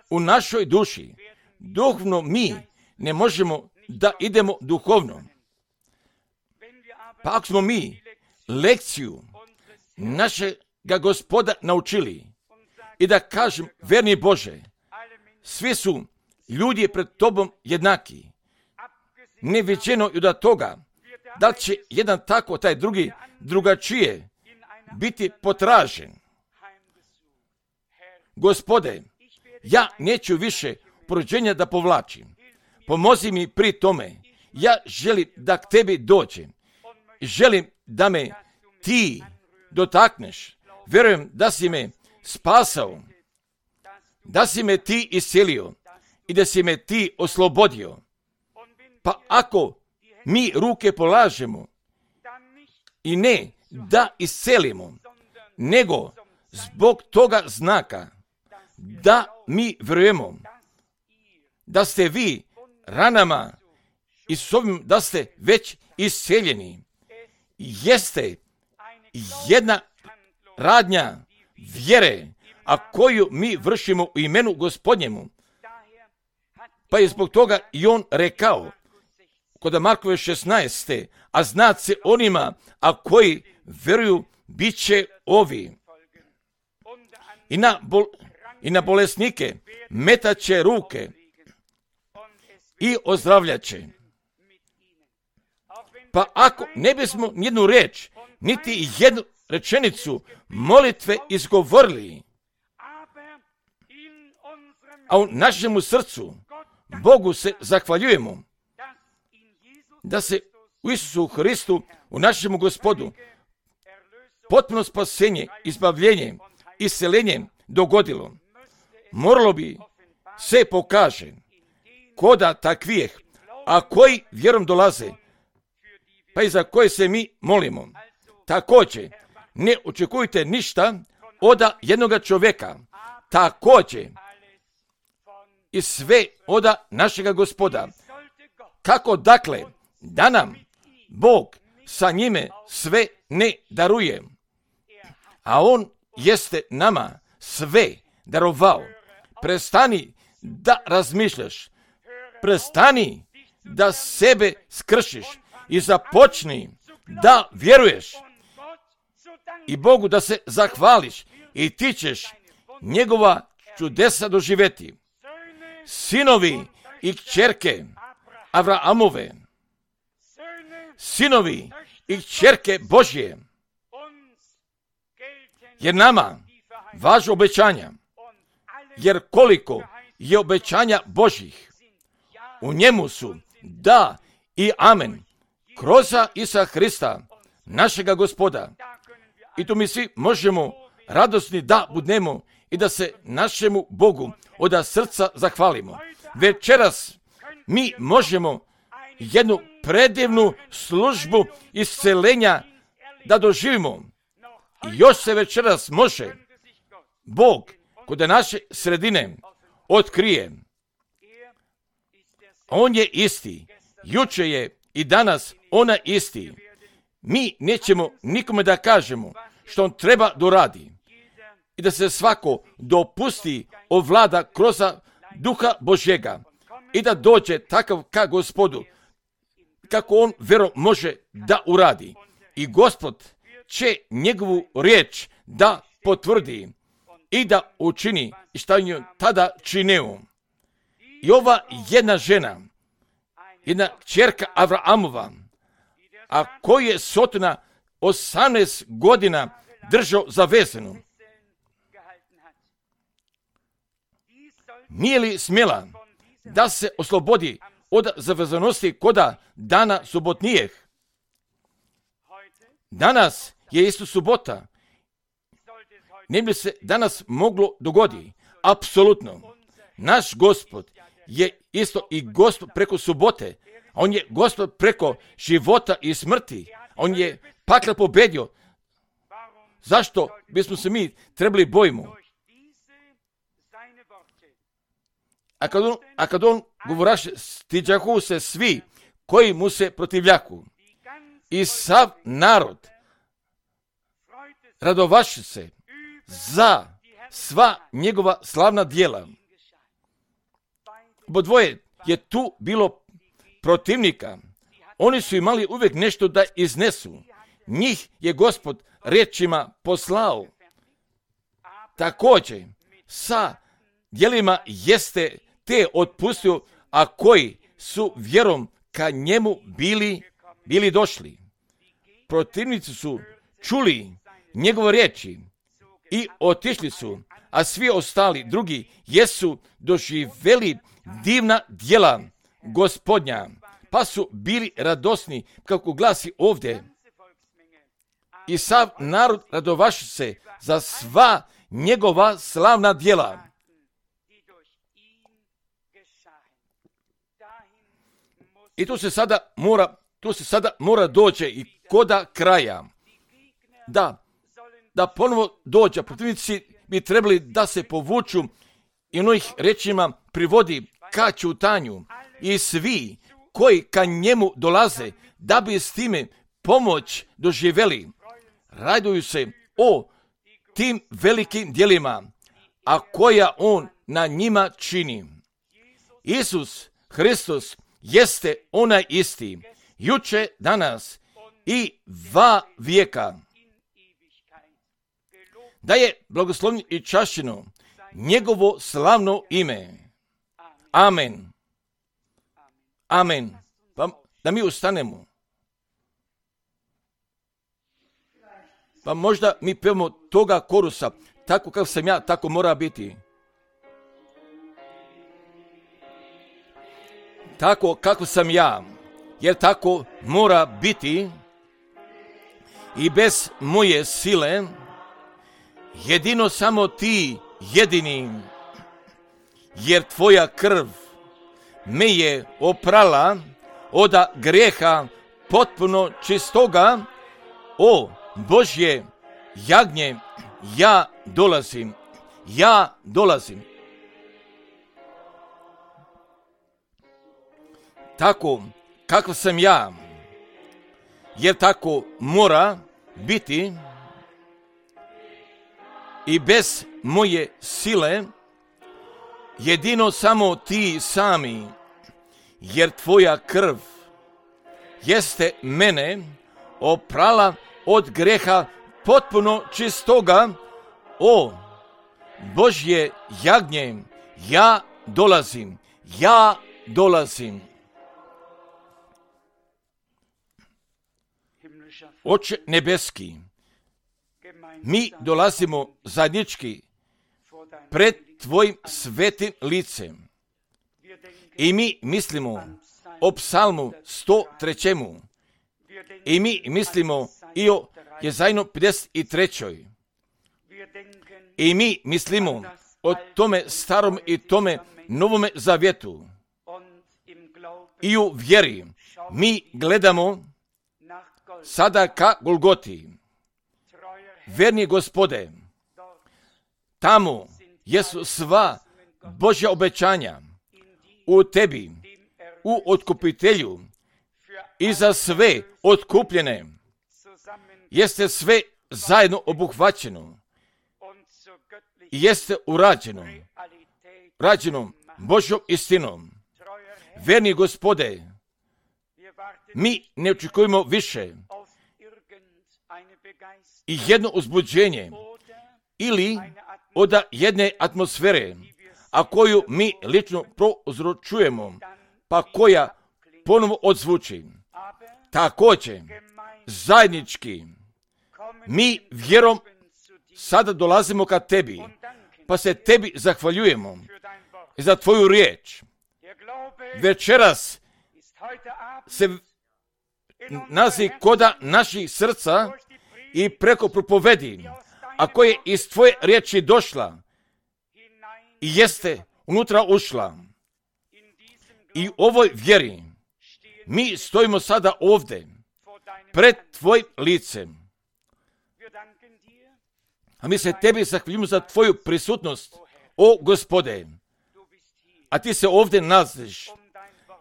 u našoj duši. Duhovno mi ne možemo da idemo duhovno. Pa ako smo mi lekciju našega Gospoda naučili i da kažem, verni Bože, svi su ljudi pred tobom jednaki. Neviđeno i od toga da li će jedan tako, taj drugi drugačije biti potražen. Gospode, ja neću više porođenja da povlačim. Pomozi mi pri tome. Ja želim da k tebi dođem. Želim da me ti dotakneš. Vjerujem da si me spasao, da si me ti iscelio i da si me ti oslobodio. Pa ako mi ruke polažemo i ne da iscelimo, nego zbog toga znaka da mi vjerujemo da ste vi ranama i s ovim da ste već isceljeni, jeste jedna radnja vjere, a koju mi vršimo u imenu Gospodnjemu. Pa je zbog toga i on rekao kod Markove 16. a znat se onima, a koji vjeruju, bit će ovi. I na bolesnike metaće ruke i ozdravljaće. Pa ako ne bismo nijednu riječ, niti jednu rečenicu molitve izgovorili, a u našemu srcu Bogu se zahvaljujemo da se u Isusu Hristu, u našemu Gospodu, potpuno spasenje, izbavljenje, isceljenje dogodilo. Moralo bi se pokaže koda takvijeh, a koji vjerom dolaze, pa i za koje se mi molimo. Također, ne očekujte ništa od jednoga čovjeka, također i sve od našega Gospoda. Kako dakle, da nam Bog sa njime sve ne daruje, a on jeste nama sve darovao. Prestani da razmišljaš, prestani da sebe skršiš i započni da vjeruješ i Bogu da se zahvališ i ti ćeš njegova čudesa doživjeti. Sinovi i kćerke Avraamove, sinovi i kćerke Božje, jer nama važu obećanja, jer koliko je obećanja Božjih, u njemu su da i amen, kroz Isusa Hrista, našega Gospoda. I tu mi svi možemo radosni da budemo i da se našemu Bogu od srca zahvalimo. Večeras mi možemo jednu predivnu službu isceljenja da doživimo. I još se večeras može Bog kod naše sredine otkrije. On je isti, juče je i danas ona isti. Mi nećemo nikome da kažemo što on treba doradi i da se svako dopusti ovlada kroz Duha Božjega i da dođe takav ka Gospodu, kako on vjerom može da uradi. I Gospod će njegovu riječ da potvrdi i da učini i šta je tada činio. I ova jedna žena, jedna kćerka Avraamova, a koju je Sotona 18 godina držao zavezanu. nije li smjela da se oslobodi od zavezanosti koda dana subotnijeg? Danas je isto subota. Ne bi se danas moglo dogodi? Apsolutno. Naš Gospod je isto i Gospod preko subote. On je Gospod preko života i smrti. On je pakla pobedio. Zašto bismo se mi trebali bojimo? A kad on govoraše, stiđahu se svi koji mu se protivljaku. I sav narod radovaše se za sva njegova slavna djela. Obodvoje je tu bilo protivnika. Oni su imali uvijek nešto da iznesu. Njih je Gospod riječima poslao. Također, sa djelima jeste te otpustio, a koji su vjerom ka njemu bili došli. Protivnici su čuli njegove riječi i otišli su, a svi ostali drugi jesu doživjeli divna djela Gospodnja, pa su bili radosni, kako glasi ovdje. I sav narod radovaše se za sva njegova slavna djela. I tu se sada mora doći i koda kraja. Da ponovo dođe, protivnici bi trebali da se povuču i onih rečima privodi ka ćutanju. I svi koji ka njemu dolaze, da bi s time pomoć doživjeli, raduju se o tim velikim djelima, a koja on na njima čini. Isus Hristos jeste onaj isti, juče, danas i va vijeka. Da je blagoslovljeno i čašćeno njegovo slavno ime. Amen. Amen. Pa da mi ustanemo. Pa možda mi pevamo toga korusa, tako kako sam ja, tako mora biti. Tako kako sam ja, jer tako mora biti i bez moje sile, jedino samo ti jedini, jer tvoja krv me je oprala od grijeha potpuno čistoga. O Božje jagnje, ja dolazim. Tako kako sam ja, jer tako mora biti i bez moje sile, jedino samo ti sami, jer tvoja krv jeste mene oprala od greha potpuno čistoga. O Božje jagnje, ja dolazim. Oče nebeski, mi dolazimo zajednički pred tvojim svetim licem i mi mislimo o psalmu 103. I mi mislimo i o Jezajnu 53. I mi mislimo o tome starom i tome novome zavjetu. I u vjeri mi gledamo sada ka Golgoti. Verni Gospode, tamo jesu sva Božja obećanja u tebi, u otkupitelju i za sve otkupljene. Jeste sve zajedno obuhvaćeno i jeste rađeno Božjom istinom. Verni Gospode, mi ne očekujemo više i jedno uzbuđenje ili od jedne atmosfere, a koju mi lično prouzročujemo, pa koja ponovo odzvuči. Također, zajednički, mi vjerom sada dolazimo ka tebi, pa se tebi zahvaljujemo i za tvoju riječ. Večeras se nalazi koda naših srca i preko propovedi, a koja je iz tvoje riječi došla i jeste unutra ušla. I u ovoj vjeri mi stojimo sada ovdje pred tvojim licem. A mi se tebi zahvaljujemo za tvoju prisutnost, o Gospode. A ti se ovdje nalaziš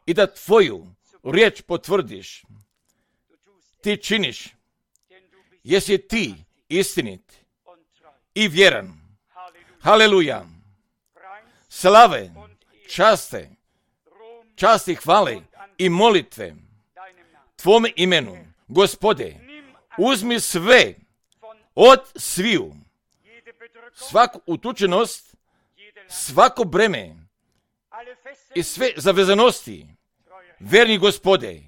i da tvoju riječ potvrdiš. Ti činiš, jesi ti istinit i vjeran. Haleluja. Slave, časti, hvale i molitve tvome imenu. Gospode, uzmi sve od sviju, svaku utučenost, svako breme i sve zavezanosti, verni Gospode.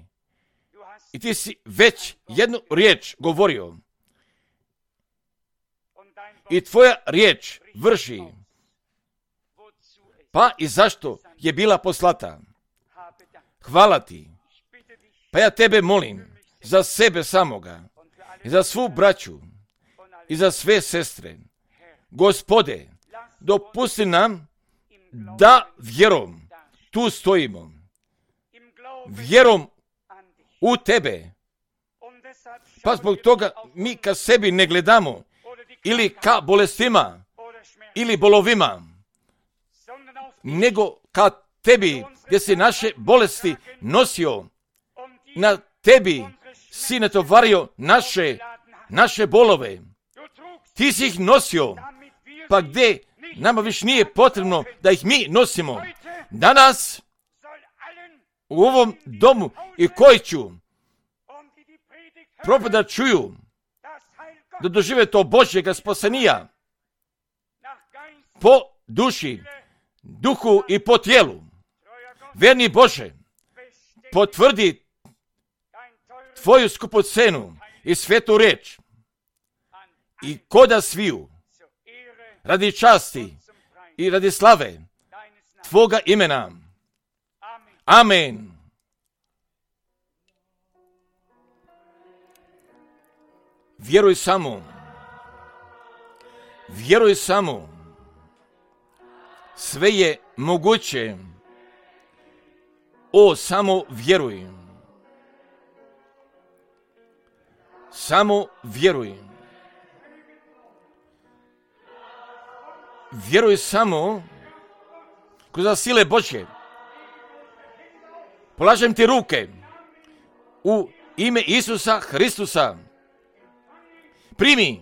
I ti si već jednu riječ govorio. I tvoja riječ vrši. Pa i zašto je bila poslata? Hvala ti. Pa ja tebe molim za sebe samoga i za svu braću i za sve sestre. Gospode, dopusti nam da vjerom tu stojimo. Vjerom u tebe. Pa zbog toga mi ka sebi ne gledamo ili ka bolestima ili bolovima, nego ka tebi gdje si naše bolesti nosio. Na tebi si natovario naše bolove. Ti si ih nosio, pa gdje nama više nije potrebno da ih mi nosimo. Danas u ovom domu i koji ću propovjeda čuju, da dožive to Božjega spasenija po duši, duhu i po tijelu. Verni Bože, potvrdi tvoju skupocenu i svetu riječ i koda sviju radi časti i radi slave tvoga imena. Amen. Vjeruj samo. Vjeruj samo. Sve je moguće. O, samo vjeruj. Samo vjeruj. Vjeruj samo kroz sile Božje. Polažem ti ruke u ime Isusa Hristusa. Primi,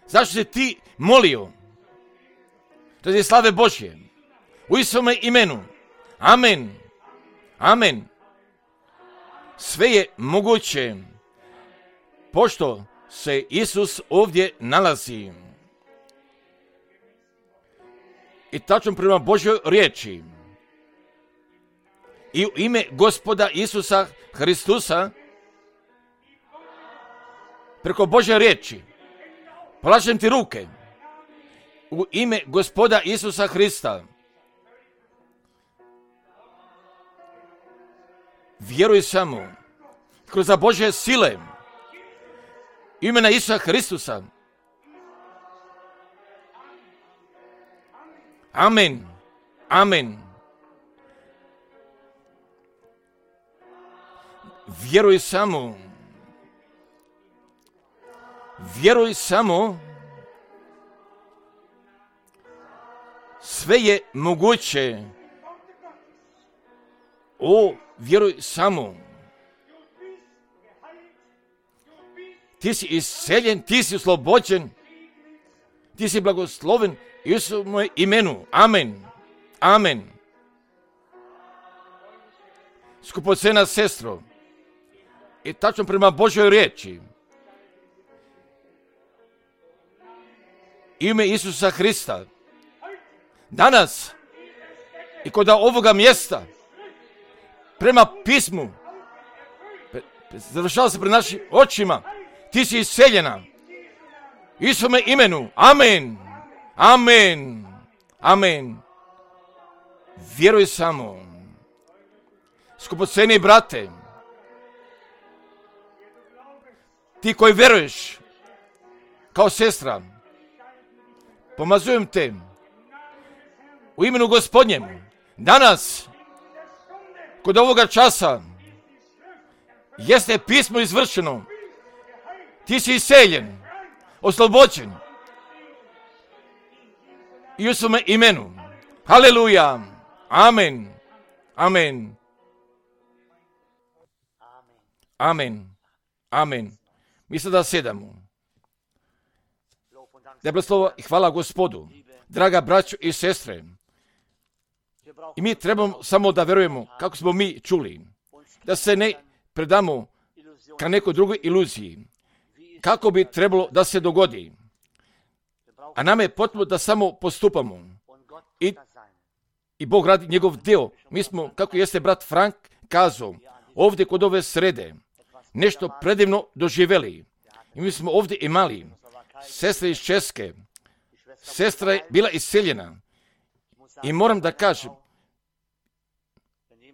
zašto si ti molio radi slave Božje u Isome imenu. Amen. Amen. Sve je moguće pošto se Isus ovdje nalazi. I tačno prema Božjoj riječi i u ime Gospoda Isusa Hristusa preko Božje riječi polažem ti ruke u ime Gospoda Isusa Hrista. Vjeruj samo kroz Božje sile imena Isusa Hristusa. Amen. Amen. Vjeruj samo. Vjeruj samo. Sve je moguće. O, vjeruj samo. Ti si isceljen, ti si oslobođen, ti si blagosloven Isusovom moje imenu. Amen. Amen. Skupocena sestro, i tačno prema Božoj riječi, ime Isusa Hrista, danas i kod ovoga mjesta, prema pismu, završava se pred našim očima, ti si isceljena. Isusome imenu. Amen. Amen. Amen. Vjeruj samo. Skupoceni brate, ti koji vjeruješ kao sestra, pomazujem te u imenu Gospodnjem. Danas, kod ovoga časa, jeste pismo izvršeno. Ti si iseljen, oslobođen. I u svome imenu. Haleluja. Amen. Amen. Amen. Amen. Mi sada sedamo. Da je blagoslov i hvala Gospodu. Draga braćo i sestre. I mi trebamo samo da verujemo kako smo mi čuli. Da se ne predamo ka nekoj drugoj iluziji. Kako bi trebalo da se dogodi. A nam je potrebno da samo postupamo. I Bog radi njegov dio. Mi smo, kako jeste brat Frank kazao, ovdje kod ove srede, nešto predivno doživjeli. I mi smo ovdje imali sestre iz Česke. Sestra je bila iseljena. I moram da kažem,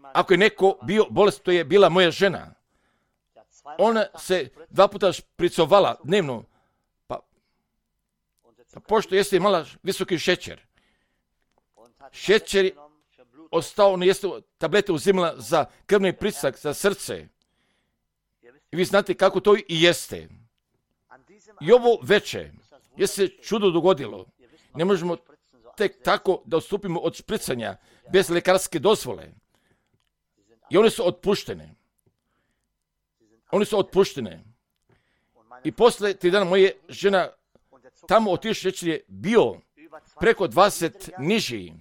ako je neko bio bolest, to je bila moja žena. Ona se 2 puta špricovala dnevno, pa pošto jeste imala visoki šećer. Šećer je ostao, ona jeste tablete uzimala za krvni pritisak, za srce. I vi znate kako to i jeste. I ovo veče je se čudo dogodilo. Ne možemo tek tako da odstupimo od špricanja bez lekarske dozvole. I one su otpuštene. Oni su otpuštene. I posle 3 dana moja žena tamo otišla, šećer je bio preko 20 niži.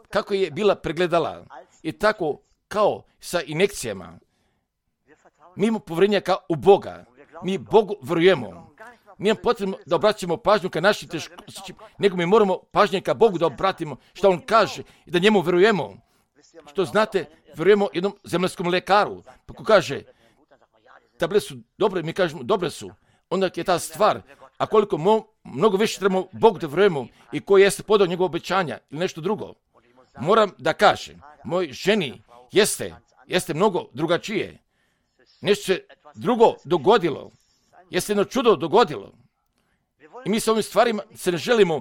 Kako je bila pregledala. I tako kao sa injekcijama. Mi imamo povjerenja kao u Boga. Mi Bogu vjerujemo. Nije potrebno da obraćamo pažnju ka našim teškoćima, nego mi moramo pažnje ka Bogu da obratimo što On kaže i da njemu vjerujemo. Što znate, vjerujemo jednom zemaljskom lekaru. Pa ko kaže, tablete su dobre, mi kažemo dobre su. Onda je ta stvar, a koliko mnogo više trebamo Bogu da vjerujemo i koji jeste podao njegove obećanja ili nešto drugo. Moram da kažem, moj ženi jeste mnogo drugačije. Nešto se drugo dogodilo. Jeste jedno čudo dogodilo. I mi sa ovim stvarima se ne želimo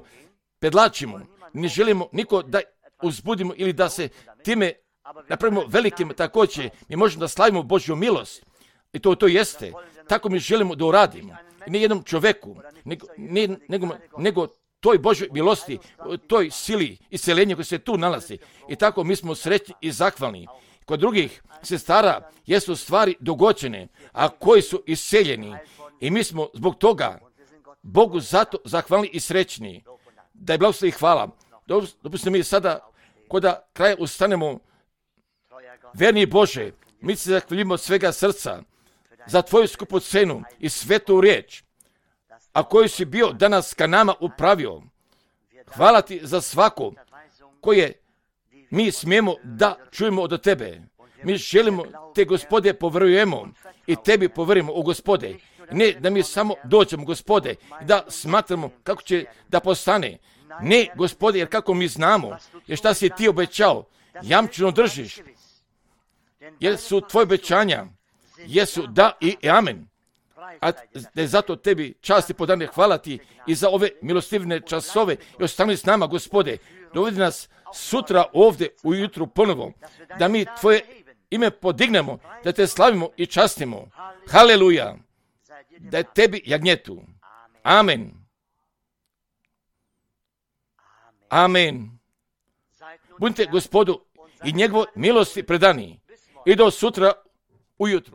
pedlačimo. Ne želimo niko da uzbudimo ili da se time napravimo velikim također. Mi možemo da slavimo Božju milost. I to jeste. Tako mi želimo da uradimo. I ne jednom čoveku, nego toj Božjoj milosti, toj sili isceljenja koji se tu nalazi. I tako mi smo srećni i zahvalni. Kod drugih sestara jesu stvari dogođene, a koji su iseljeni. I mi smo zbog toga Bogu zato zahvalni i srećni. Da je blagoslov i hvala. Dopustite mi sada, kod kraja ustanemo, verni Bože, mi se zahvaljujemo od svega srca za Tvoju skupu cenu i svetu riječ, a koju si bio danas ka nama upravio. Hvala Ti za svako koje mi smijemo da čujemo od Tebe. Mi želimo Te, Gospode, povjerujemo i Tebi povjerujemo, o Gospode. Ne da mi samo dođemo, Gospode, da smatramo kako će da postane. Ne, Gospode, jer kako mi znamo, jer šta si Ti obećao, jamčeno držiš. Jer su Tvoje obećanja, jesu da i amen. A da je zato Tebi čast i podane, hvala Ti i za ove milostivne časove i ostani s nama, Gospode. Dovedi nas sutra ovdje ujutru ponovo, da mi Tvoje ime podignemo, da Te slavimo i častimo. Haleluja! Da je Tebi jagnjetu. Amen. Amen. Budite Gospodu i njegovoj milosti predani. I do sutra ujutru.